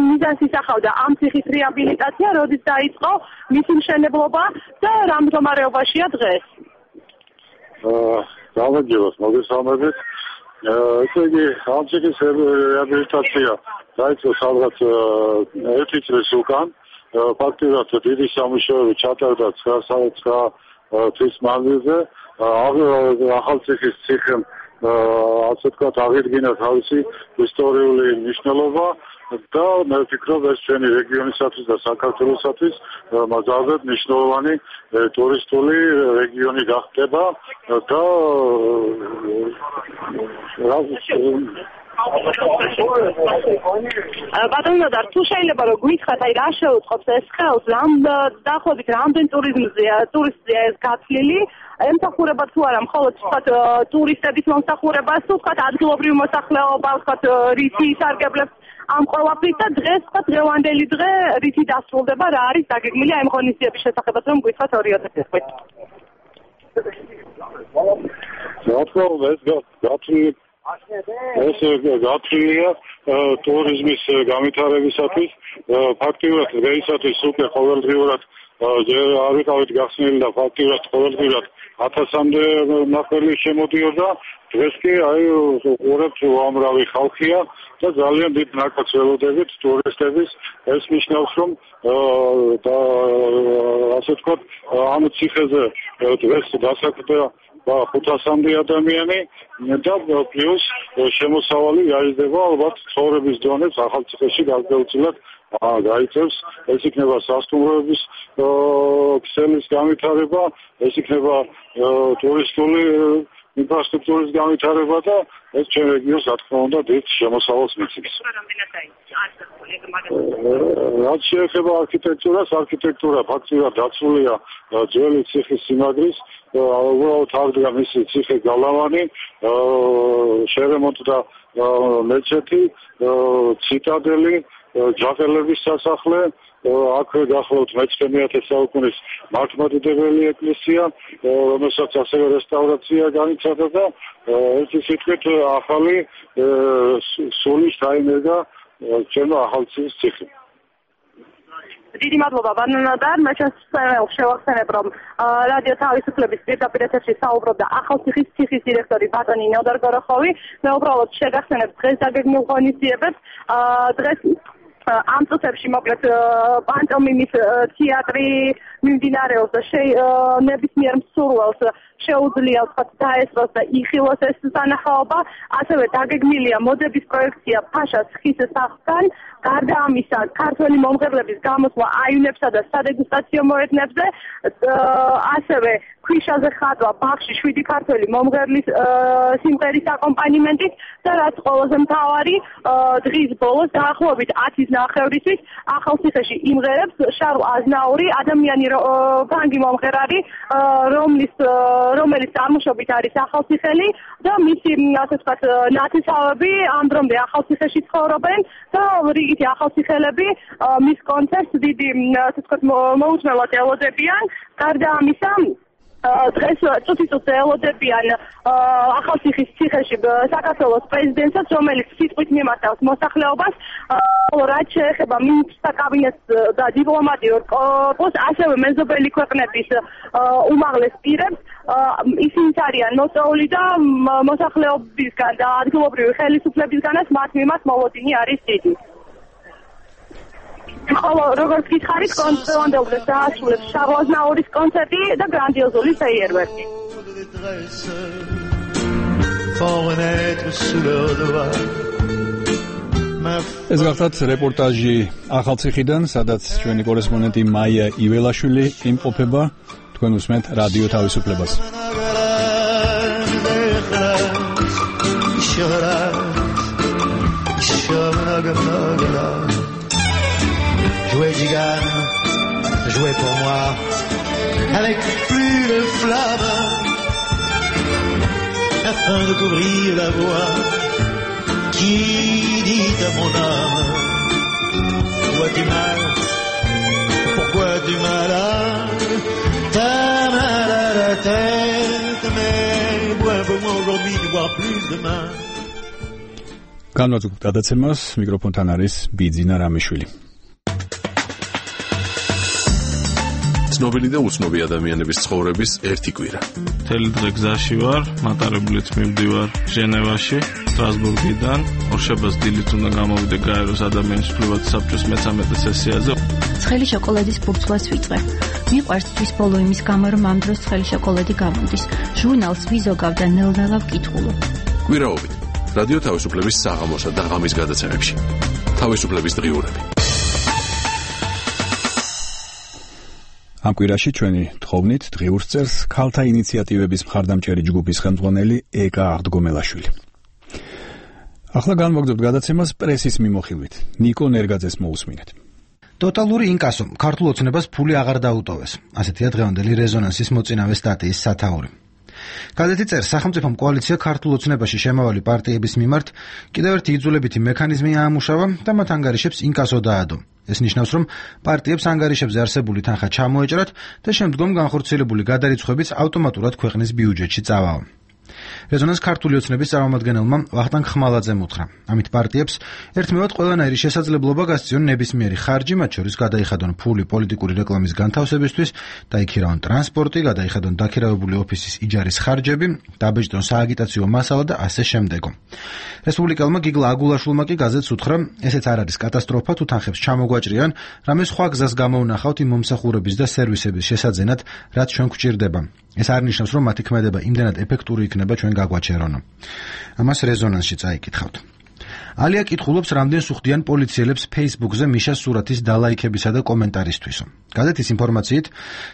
მიზანს ისახავდა ამ ციხის რეაბილიტაცია, როდის დაიწყო მისი მშენებლობა და რა მდგომარეობაშია დღეს? გამარჯობა, მოგესალმებით. ესე იგი, ამ ციხის რეაბილიტაცია დაიწყო სადღაც 1 წლის უკან. ფაქტობრივად დიდი სამუშაოები ჩატარდა 9 თვის მანძილზე. ახალციხის ციხემ ასე ვთქვათ აღიდგინა თავისი ისტორიული მნიშვნელობა და მე ვფიქრობ ეს ჩვენი რეგიონისათვის და საქართველოსათვის მაგალითად მნიშვნელოვანი ტურისტული რეგიონი გახდება და ბატონო და თუ შეიძლება რომ გითხრათ აი რა შეუწყობს ეს ხელს დაახლოებით რამდენ ტურიზმზეა ეს გათვლილი ემსახურება თუ არა მხოლოდ ვთქვათ ტურისტების მომსახურებას თუ ვთქვათ ადგილობრივ მოსახლეობას ვთქვათ რითი ისარგებლებს ამ ყველაფრით და დღეს ვთქვათ დღევანდელი დღე რითი დასრულდება რა არის დაგეგმილი ამ ღონისძიების შესახებაც რომ გითხრათ 2 თვით ეს გათვლილია ტურიზმის განვითარებისათვის ფაქტობრივად დღეისათვის უკვე ყოველდღიურად არ ვიყავით გახსნილი და ფაქტობრივად ყოველდღიურად 1000-მდე ნახველი შემოდიოდა დღეს კი აი უყურებთ უამრავი ხალხია და ძალიან დიდ ნაკადს ველოდებით ტურისტების ეს ნიშნავს რომ და ასე ვთქვათ ამ ციხეზე დღეს დასაქმდა 500-მდე ადამიანი და პლუს შემოსავალი გაიზრდება ალბათ ცხოვრების დონეც ახალციხეში გარკვეულწილად გაიწევს ეს იქნება სასტუმროების ქსელის განვითარება ეს იქნება ტურისტული ინფრასტრუქტურის განვითარება და ეს ჩვენ რეგიონს რა თქმა უნდა დიდ შემოსავალს მიცემს. რაც შეეხება არქიტექტურას, არქიტექტურა ფაქტობრივად დაცულია ძველი ციხის სიმაგრის, უბრალოდ აღდგა მისი ციხე გალავანი, შერემონტდა მეჩეთი, ციტადელი, ჯაყელების სასახლე, აქვე გახლავთ მე-11 საუკუნის მართლმადიდებელი ეკლესია, რომელსაც ასევე რესტავრაცია განიცადა და ერთი სიტყვით ახალი სული დაინერგა ჩვენო ახალციხის ციხე. დიდი მადლობა ბანანადარ, მე შევახსენებ რომ რადიო თავისუფლების პირდაპირ ეთერში საუბრობდა ახალციხის ციხის დირექტორი ბატონი ნოდარ გოროხოვი. მე უბრალოდ შეგახსენებ დღეს დაგეგმილ ღონისძიებებს. დღეს ამ წუთებში მოკლედ პანტომიმის თეატრი მიმდინარეობს და ნებისმიერ მსურველს შეუძლია ვთქვათ დაესწროს და იხილოს ეს სანახაობა. ასევე დაგეგმილია მოდების პროექცია ფაშას ხის სახლთან. გარდა ამისა, ქართველი მომღერლების გამოსვლა აივნებსა და სადეგუსტაციო მოედნებზე, ასევე ქვიშაზე ხატვა ბაღში 7 ქართველი მომღერლის სიმღერის აკომპანიმენტით და რაც ყველაზე მთავარი, დღის ბოლოს დაახლოებით 10-ის ნახევრისთვის ახალციხეში იმღერებს შარლ აზნაური, ადამიანი ფრანგი მომღერალი, რომელიც წარმოშობით არის ახალციხელი და მისი ასე ვთქვათ ნათესავები ამ დრომდე ახალციხეში ცხოვრობენ და რიგითი ახალციხელები მის კონცერტს დიდი ასე ვთქვათ მოუთმელად ელოდებიან. გარდა ამისა დღეს წუთი-წუთზე ელოდებიან ახალციხის ციხეში საქართველოს პრეზიდენტსაც, რომელიც სიტყვით მიმართავს მოსახლეობას, რაც შეეხება მინისტრთა კაბინეტს და დიპლომატიურ კორპუსს, ასევე მეზობელი ქვეყნების უმაღლეს პირებს. ისინი არიან მოწვეული და მოსახლეობისგან და ადგილობრივი ხელისუფლებისგანაც მათ მიმართ მოლოდინი არის დიდი. ხოლო როგორც გითხარით, კონცერტამდე დაასრულებს შარლ აზნაურის კონცერტი და გრანდიოზული ფეიერვერკი. ეს გახლავთ რეპორტაჟი ახალციხიდან, სადაც ჩვენი კორესპონდენტი მაია იველაშვილი იმყოფება. თქვენ უსმენთ რადიო თავისუფლებას. Jouez Gigane, jouez pour moi, avec plus de flamme, afin de couvrir la voix qui dit à mon âme pourquoi tu m'as là t'as mal à la tête mais bois pour moi aujourd'hui tu bois plus demain. განვაცხოთ გადაცემას მიკროფონთან არის ბიძინა რამიშვილი. ცნობილი და უცნობი ადამიანების ცხოვრების ერთი კვირა. მთელი დღე გზაში ვარ, მატარებლით მივდივარ ჟენევაში, სტრასბურგიდან, ორშაბათს დილით უნდა გამოვიდე გაეროს ადამიანის უფლებათა საბჭოს მე-13 სესიაზე. ცხელი შოკოლადის ფურცლას ვიწვე. მიყვარს თვის ბოლო იმის გამო, რომ ამ დროს ცხელი შოკოლადი გამოდის. ჟურნალს ვიზოგავ და ნელ-ნელა ვკითხულობ. კვირაობით რადიო თავისუფლების საღამოსა და ღამის გადაცემებში. თავისუფლების დღიურები. ამ კვირაში ჩვენი თხოვნით დღიურს წერს ქალთა ინიციატივების მხარდამჭერი ჯგუფის ხელმძღვანელი ეკა აღდგომელაშვილი. ახლა განვაგრძობთ გადაცემას პრესის მიმოხილვით. ნიკო ნერგაძეს მოусმინეთ. ტოტალური ინკასო ქართულ ოცნებას ფული აღარ დაუტოვეს. ასეთია დღევანდელი რეზონანსის მოწინავე სტატიის სათაური. გაზეთი წერს, სახელმწიფომ კოალიცია ქართულ ოცნებაში შემავალი პარტიების მიმართ კიდევ ერთი იძულებითი მექანიზმი აამუშავა და მათ ანგარიშებს ინკასო დაადო. ეს ნიშნავს, რომ პარტიებს ანგარიშებზე არსებული თანხა ჩამოეჭრათ და შემდგომ განხორციელებული გადარიცხვებიც ავტომატურად ქვეყნის ბიუჯეტში წავაო. რეზონანს ქართული ოცნების წარმომადგენელმა ვახტანგ ხმალაძემ უთხრა. ამით პარტიებს ერთმევად ყველანაირი შესაძლებლობა გასწიონ ნებისმიერი ხარჯი, მათ შორის გადაიხადონ ფული პოლიტიკური რეკლამის განთავსებისთვის, დაიქირავონ ტრანსპორტი, გადაიხადონ დაქირავებული ოფისის იჯარის ხარჯები, დაბეჭდონ სააგიტაციო მასალა და ასე შემდეგო. რესპუბლიკელმა გიგლა აგულაშვილმა კი გაზეთს უთხრა, ესეც არ არის კატასტროფა, თუ თანხებს ჩამოგვაჭრიან, რამე სხვა გზას გამოვნახავთ იმ მომსახურების და სერვისების შესაძენად, რაც ჩვენ გვჭირდება. ეს არ ნიშნავს, რომ მათი ქმედება იმდენად ეფექტური იქნება ჩვენ გაგვაჩერონო. ამას რეზონანსში წაიკითხავთ. ალია კითხულობს, რამდენს უხდიან პოლიციელებს Facebook-ზე მიშას სურათის დალაიქებისა და კომენტარისთვისო. გაზეთის ინფორმაციით,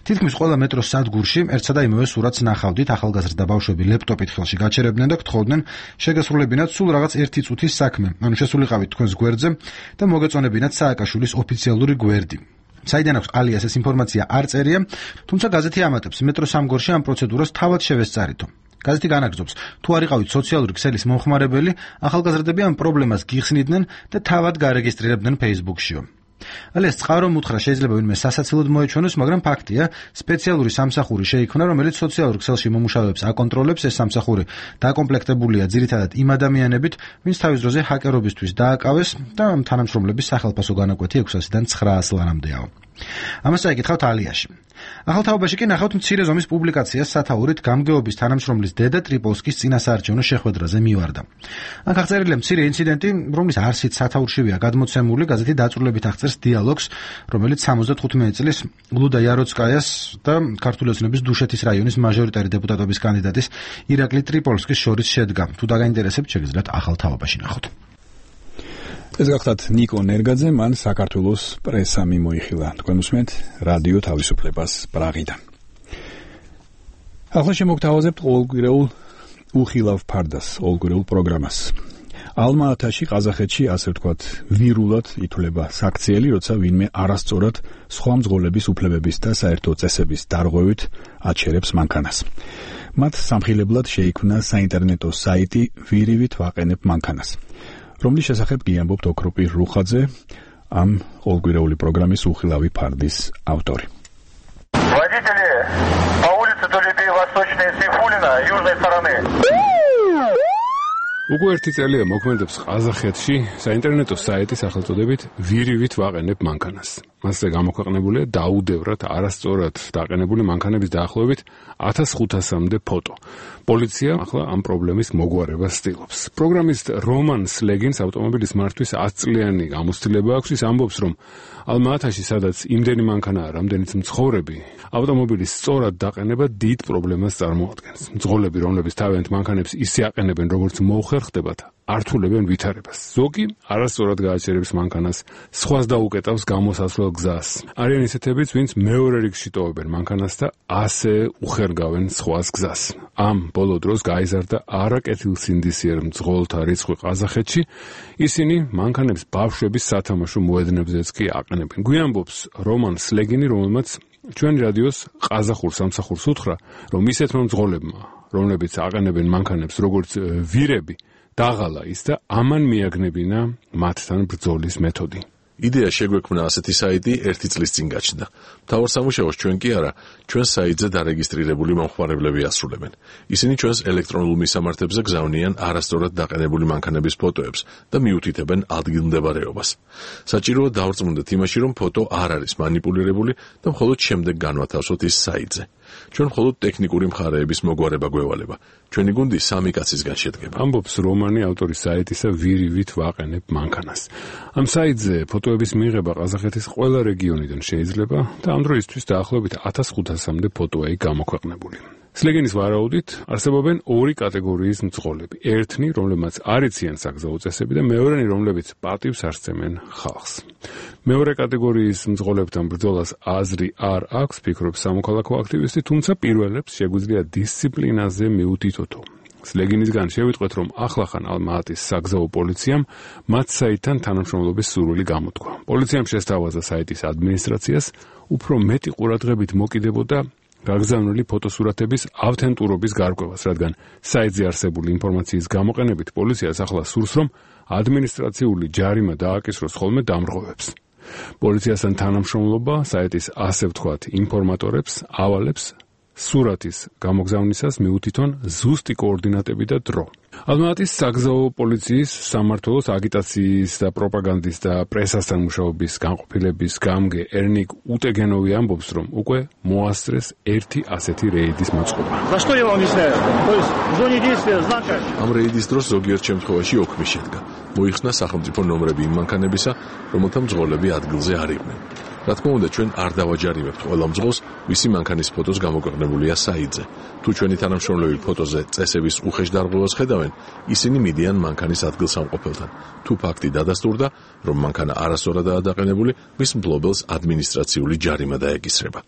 თითქმის ყველა მეტროს სადგურში ერთსა და იმავე სურათს ნახავდით, ახალგაზრდა ბავშვები ლეპტოპით ხელში გაჩერებდნენ და გთხოვდნენ შეგესრულებინათ სულ რაღაც ერთი წუთის საქმე, ანუ შესულიყავით თქვენს გვერდზე და მოგეწონებინათ სააკაშვილის ოფიციალური გვერდი. საიდან აქვს ალიას ეს ინფორმაცია არ წერია, თუმცა გაზეთი ამატებს, მეტროს სამგორში ამ პროცედურას თავად შევესწარითო. გაზეთი განაგრძობს, თუ არ იყავით სოციალური ქსელის მომხმარებელი, ახალგაზრდები ამ პრობლემას გიხსნიდნენ და თავად გარეგისტრირებდნენ Facebook-შიო. ალიას წყარო უთხრა, შეიძლება ვინმე სასაცილოდ მოეჩვენოს, მაგრამ ფაქტია, სპეციალური სამსახური შეიქმნა, რომელიც სოციალურ ქსელში მომუშავეებს აკონტროლებს. ეს სამსახური დაკომპლექტებულია ძირითადად იმ ადამიანებით, ვინც თავის დროზე ჰაკერობისთვის დააკავეს და თანამშრომლების სახელფასო განაკვეთი 600-დან 900 ლარამდეაო. ამას წაიკითხავთ ალიაში. ახალ თაობაში კი ნახავთ მცირე ზომის პუბლიკაციას სათაურით გამგეობის თანამშრომლის დედა ტრიპოლსკის წინასაარჩევნო შეხვედრაზე მივარდა. აქ აღწერილია მცირე ინციდენტი, რომლის არსით სათაურშივია გადმოცემული. გაზეთი დაწვრილებით აღწერს დიალოგს, რომელიც 75 წლის ლუდა იაროცკაიას და ქართული ოცნების დუშეთის რაიონის მაჟორიტარი დეპუტატობის კანდიდატის ირაკლი ტრიპოლსკის შორის შედგა. თუ დაგაინტერესებთ, შეგიძლიათ ახალ თაობაში ნახოთ. ეს გახლავთ ნიკო ნერგაძე, მან საქართველოს პრესა მიმოიხილა. თქვენ უსმენთ რადიო თავისუფლებას პრაღიდან. ახლა შემოგთავაზებთ ყოველკვირეულ უხილავ ფარდას, ყოველკვირეულ პროგრამას. ალმა-ათაში, ყაზახეთში, ასე ვთქვათ, ვირულად ითვლება საქციელი, როცა ვინმე არასწორად სხვა მძღოლების უფლებების და საერთო წესების დარღვევით აჩერებს მანქანას. მათ სამხილებლად შეიქმნა საინტერნეტო საიტი ვირივით ვაყენებ მანქანას, რომლის შესახებ გიამბობთ ოქროპი რუხაძე, ამ ყოველკვირეული პროგრამის უხილავი ფარდის ავტორი. Водители по улице Толебей Восточной Сейфулина, южной стороны. უკვე ერთი წელია მოქმედებს ყაზახეთში საინტერნეტო საიტი სახელწოდებით ვირივით ვაყენებ მანქანას. მასზე გამოქვეყნებულია დაუდევრად არასწორად დაყენებული მანქანების დაახლოებით 1500-მდე ფოტო. პოლიცია ახლა ამ პრობლემის მოგვარებას ცდილობს. პროგრამისტ რომან სლეგინს ავტომობილის მართვის 10 წლიანი გამოცდილება აქვს. ის ამბობს, რომ ალმა-ათაში, სადაც იმდენი მანქანაა, რამდენიც მცხოვრები, ავტომობილის სწორად დაყენება დიდ პრობლემას წარმოადგენს. მძღოლები, რომლებიც თავიანთ მანქანებს ისე აყენებენ, როგორც მოუხერხდებათ, ართულებენ ვითარებას. ზოგი არასწორად გააჩერებს მანქანას, სხვას დაუკეტავს გამოსასვლელ გზას. არიან ისეთებიც, ვინც მეორე რიგში ტოვებენ მანქანას და ასე უხერგავენ სხვას გზას. ამ ბოლო დროს გაიზარდა არაკეთილსინდისიერ მძღოლთა რიცხვი ყაზახეთში. ისინი მანქანებს ბავშვების სათამაშო მოედნებზეც კი აყენებენ. გვიანბობს რომან სლეგინი, რომელმაც ჩვენი რადიოს ყაზახურ სამსახურს უთხრა, რომ ისეთმა მძღოლებმა, რომლებიც აყენებენ მანქანებს როგორც ვირები, დაღალა ის და ამან მიაგნებინა მათთან ბრძოლის მეთოდი. იდეა შეგვექმნა ასეთი საიტი 1 წლის წინ გაჩნდა. მთავარ სამუშაოს ჩვენ კი არა, ჩვენ საიტზე დარეგისტრირებული მომხმარებლები ასრულებენ. ისინი ჩვენს ელექტრონულ მისამართებზე გზავნიან არასწორად დაყენებული მანქანების ფოტოებს და მიუთითებენ ადგილმდებარეობას. საჭიროა დავრწმუნდეთ იმაში, რომ ფოტო არ არის მანიპულირებული და მხოლოდ შემდეგ განვათავსოთ ის საიტზე. ჩვენ მხოლოდ ტექნიკური მხარეების მოგვარება გვევალება. ჩვენი გუნდი 3 კაცისგან შედგება. ამბობს რომანი ავტორის საიტისა ვირივით ვაყენებ მანქანას. ამ საიტზე ფოტოების მიღება ყაზახეთის ყველა რეგიონიდან შეიძლება და ამ დროისთვის დაახლოებით 1500-მდე ფოტოა გამოქვეყნებული. სლეგენის ვარაუდით არსებობენ 2 კატეგორიის მძღოლები. ერთნი, რომლებმაც არ იციან საგზაო წესები და მეორენი, რომლებიც პატივს არსცემენ ხალხს. მეორე კატეგორიის მძღოლებთან ბრძოლას აზრი არ აქვს, ფიქრობს სამოქალაქო აქტივისტი, თუმცა პირველებს შეგვიძლია დისციპლინაზე მიუთითოთო. სლეგინისგან შევიტყვეთ, რომ ახლახან ალმაატის საგზაო პოლიციამ მათ საიტთან თანამშრომლობის სურვილი გამოთქვა. პოლიციამ შესთავაზა საიტის ადმინისტრაციას უფრო მეტი ყურადღებით მოკიდებოდა გაგზავნილი ფოტოსურათების ავთენტურობის გარკვევას, რადგან საიტზე არსებული ინფორმაციის გამოყენებით პოლიციას ახლა სურს, რომ ადმინისტრაციული ჯარიმა დააკისროს ხოლმე დამრღვევებს. პოლიციასთან თანამშრომლობა საიტის ასე ვთქვათ ინფორმატორებს ავალებს სურათის გამოგზავნისას მიუთითონ ზუსტი კოორდინატები და დრო. ალმაატის საგზაო პოლიციის სამმართველოს აგიტაციის და პროპაგანდის და პრესასთან მუშაობის განყოფილების გამგე ერნიკ უტეგენოვი ამბობს, რომ უკვე მოასწრეს ერთი ასეთი რეიდის მოწყობა. ამ რეიდის დროს ზოგიერთ შემთხვევაში ოქმი შედგა. მოიხსნა სახელმწიფო ნომრები იმ მანქანებისა, რომელთა მძღოლები ადგილზე არ იყვნენ. რა თქმა უნდა, ჩვენ არ დავაჯარიმებთ ყველა მძღოლს, ვისი მანქანის ფოტოს გამოქვეყნებულია საიტზე. თუ ჩვენი თანამშრომლები ფოტოზე წესების უხეშ დარღვევას ხედავენ, ისინი მიდიან მანქანის ადგილსამყოფელთან. თუ ფაქტი დადასტურდა, რომ მანქანა არასწორადაა დაყენებული, მის მფლობელს ადმინისტრაციული ჯარიმა დაეკისრება.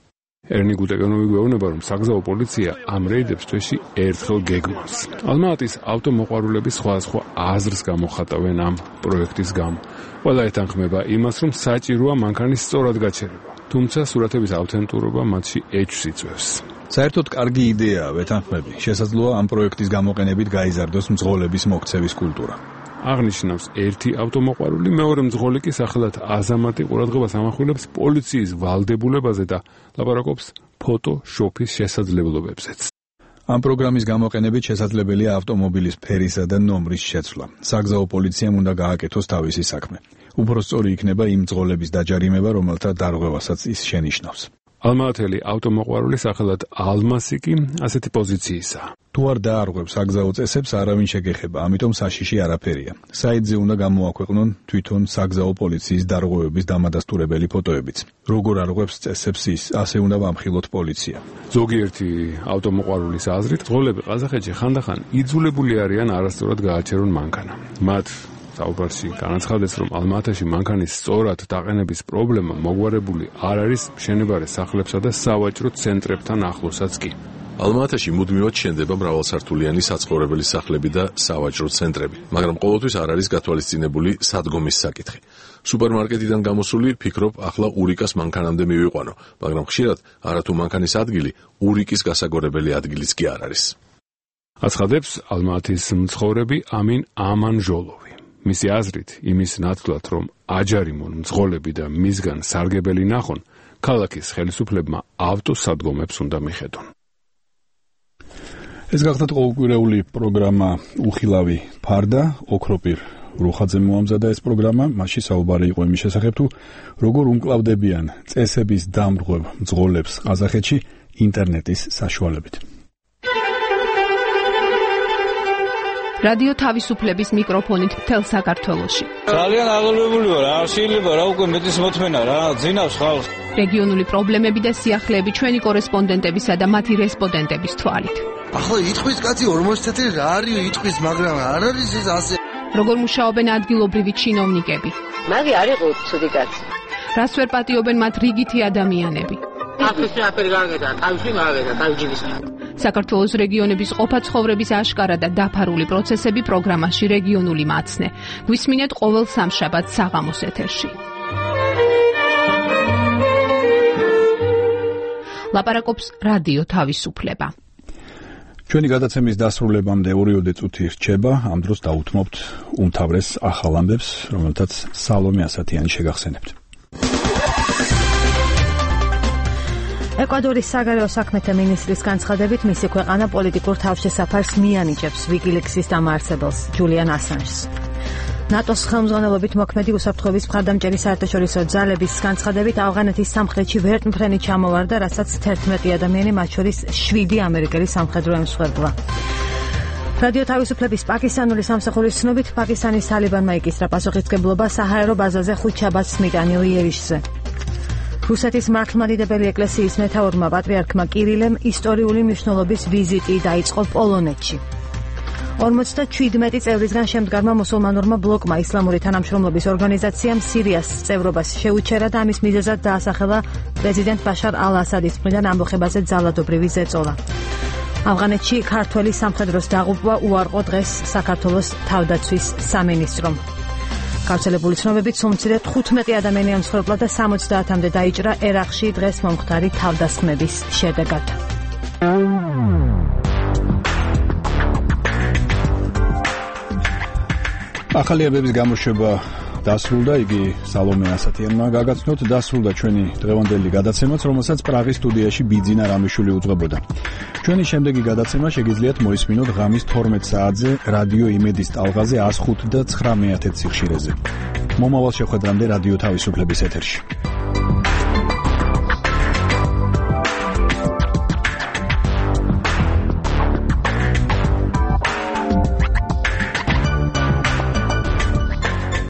ერნიკ უტეგენოვი გვეუბნება, რომ საგზაო პოლიცია ამ რეიდებს თვეში ერთხელ გეგმავს. ალმაატის ავტომოყვარულები სხვადასხვა აზრს გამოხატავენ ამ პროექტის გამო. ყველა ეთანხმება იმას, რომ საჭიროა მანქანის სწორად გაჩერება. თუმცა სურათების ავთენტურობა მათში ეჭვს იწვევს. საერთოდ კარგი იდეაა, ვეთანხმები. შესაძლოა ამ პროექტის გამოყენებით გაიზარდოს მძღოლების მოქცევის კულტურა. აღნიშნავს ერთი ავტომოყვარული, მეორე მძღოლი კი სახელად აზამატი ყურადღებას ამახვილებს პოლიციის ვალდებულებაზე და ლაპარაკობს ფოტოშოპის შესაძლებლობებზეც. ამ პროგრამის გამოყენებით შესაძლებელია ავტომობილის ფერისა და ნომრის შეცვლა. საგზაო პოლიციამ უნდა გააკეთოს თავისი საქმე. უფრო სწორი იქნება იმ მძღოლების დაჯარიმება, რომელთა დარღვევასაც ის შენიშნავს. ალმაათელი ავტომოყვარული სახელად ალმასი კი ასეთი პოზიციისაა. თუ არ დაარღვევს საგზაო წესებს, არავინ შეგეხება, ამიტომ საშიში არაფერია. საიტზე უნდა გამოაქვეყნონ თვითონ საგზაო პოლიციის დარღვევების დამადასტურებელი ფოტოებიც. როგორ არღვევს წესებს ის, ასე უნდა ვამხილოთ პოლიცია. ზოგიერთი ავტომოყვარულის აზრით, მძღოლები ყაზახეთში ხანდახან იძულებული არიან არასწორად გააჩერონ მანქანა. მათ საუბარში განაცხადეს, რომ ალმაათაში მანქანის სწორად დაყენების პრობლემა მოგვარებული არ არის მშენებარე სახლებსა და სავაჭრო ცენტრებთან ახლოსაც კი. ალმაათაში მუდმივად შენდება მრავალსართულიანი საცხოვრებელი სახლები და სავაჭრო ცენტრები, მაგრამ ყოველთვის არ არის გათვალისწინებული სადგომის საკითხი. სუპერმარკეტიდან გამოსული ფიქრობ, ახლა ურიკას მანქანამდე მივიყვანო, მაგრამ ხშირად არათუ მანქანის ადგილი ურიკის გასაგორებელი ადგილიც კი არ არის. აცხადებს ალმაათის მცხოვრები ამინ ამანჟოლოვი. მისი აზრით, იმის ნაცვლად, რომ აჯარიმონ მძღოლები და მისგან სარგებელი ნახონ, ქალაქის ხელისუფლებმა ავტოსადგომებს უნდა მიხედონ. ეს გახლავთ ყოველკვირეული პროგრამა უხილავი ფარდა, ოქროპირ რუხაძემ მოამზადა ეს პროგრამა, მასში საუბარი იყო იმის შესახებ, თუ როგორ უმკლავდებიან წესების დამრღვევ მძღოლებს ყაზახეთში ინტერნეტის საშუალებით. რადიო თავისუფლების მიკროფონით მთელ საქართველოში. ძალიან აღელვებული ვარ, არ შეიძლება რა უკვე მეტის მოთმენა რა, ძინავს ხალხს. რეგიონული პრობლემები და სიახლეები ჩვენი კორესპონდენტებისა და მათი რესპონდენტების თვალით. ახლა იტყვის კაცი 40 წელი რა არის იტყვის, მაგრამ არ არის ეს ასე. როგორ მუშაობენ ადგილობრივი ჩინოვნიკები? მაგი არ იყო ცუდი კაცი. რას ვერ პატიობენ მათ რიგითი ადამიანები? ახლა აფერი გაგედა, თავში გაგედა, თავჯიბის. საქართველოს რეგიონების ყოფა ცხოვრების აშკარა და დაფარული პროცესები პროგრამაში რეგიონული მაცნე. გვისმინეთ ყოველ სამშაბათს საღამოს ეთერში. ლაპარაკობს რადიო თავისუფლება. ჩვენი გადაცემის დასრულებამდე 2 წუთი რჩება, ამ დროს დაუთმობთ უმთავრეს ახალ ამბებს, რომელთაც სალომე ასათიანი შეგახსენებთ. ეკვადორის საგარეო საქმეთა მინისტრის განცხადებით, მისი ქვეყანა პოლიტიკურ თავშესაფარს მიანიჭებს ვიკილიქსის დამაარსებელს, ჯულიან ასანჟს. ნატოს ხელმძღვანელობით მოქმედი უსაფრთხოების მხარდამჭერი საერთაშორისო ძალების განცხადებით, ავღანეთის სამხრეთში ვერტმფრენი ჩამოვარდა, რასაც 11 ადამიანი, მათ შორის 7 ამერიკელი სამხედრო ემსხვერპლა. რადიო თავისუფლების პაკისტანური სამსახურის ცნობით, პაკისტანის თალიბანმა იკისრა პასუხისმგებლობა საჰაერო ბაზაზე ხუთშაბათს მიტანილ იერიშზე. რუსეთის მართლმადიდებელი ეკლესიის მეთაურმა პატრიარქმა კირილემ ისტორიული მნიშვნელობის ვიზიტი დაიწყო პოლონეთში. 57 წევრისგან შემდგარმა მუსულმანურმა ბლოკმა ისლამური თანამშრომლობის ორგანიზაციამ სირიას წევრობას შეუჩერა და ამის მიზეზად დაასახელა პრეზიდენტ ბაშარ ალ-ასადის მხრიდან ამბოხებაზე ძალადობრივი ზეწოლა. ავღანეთში ქართველი სამხედროს დაღუპვა უარყო დღეს საქართველოს თავდაცვის სამინისტრომ. გავრცელებული ცნობებით, სულ 15 ადამიანი ემსხვერპლა და 70-მდე დაიჭრა ერაყში დღეს მომხდარი თავდასხმების შედეგად. ახალი ამბების გამოშვება დასრულდა, იგი სალომე ასათიანმა გაგაცნოთ, დასრულდა ჩვენი დღევანდელი გადაცემაც, რომელსაც პრაღის სტუდიაში ბიძინა რამიშვილი უძღვებოდა. ჩვენი შემდეგი გადაცემა შეგიძლიათ მოისმინოთ ღამის 12 საათზე რადიო იმედის ტალღაზე 105 და 9 სიხშირეზე. მომავალ შეხვედრამდე რადიო თავისუფლების ეთერში.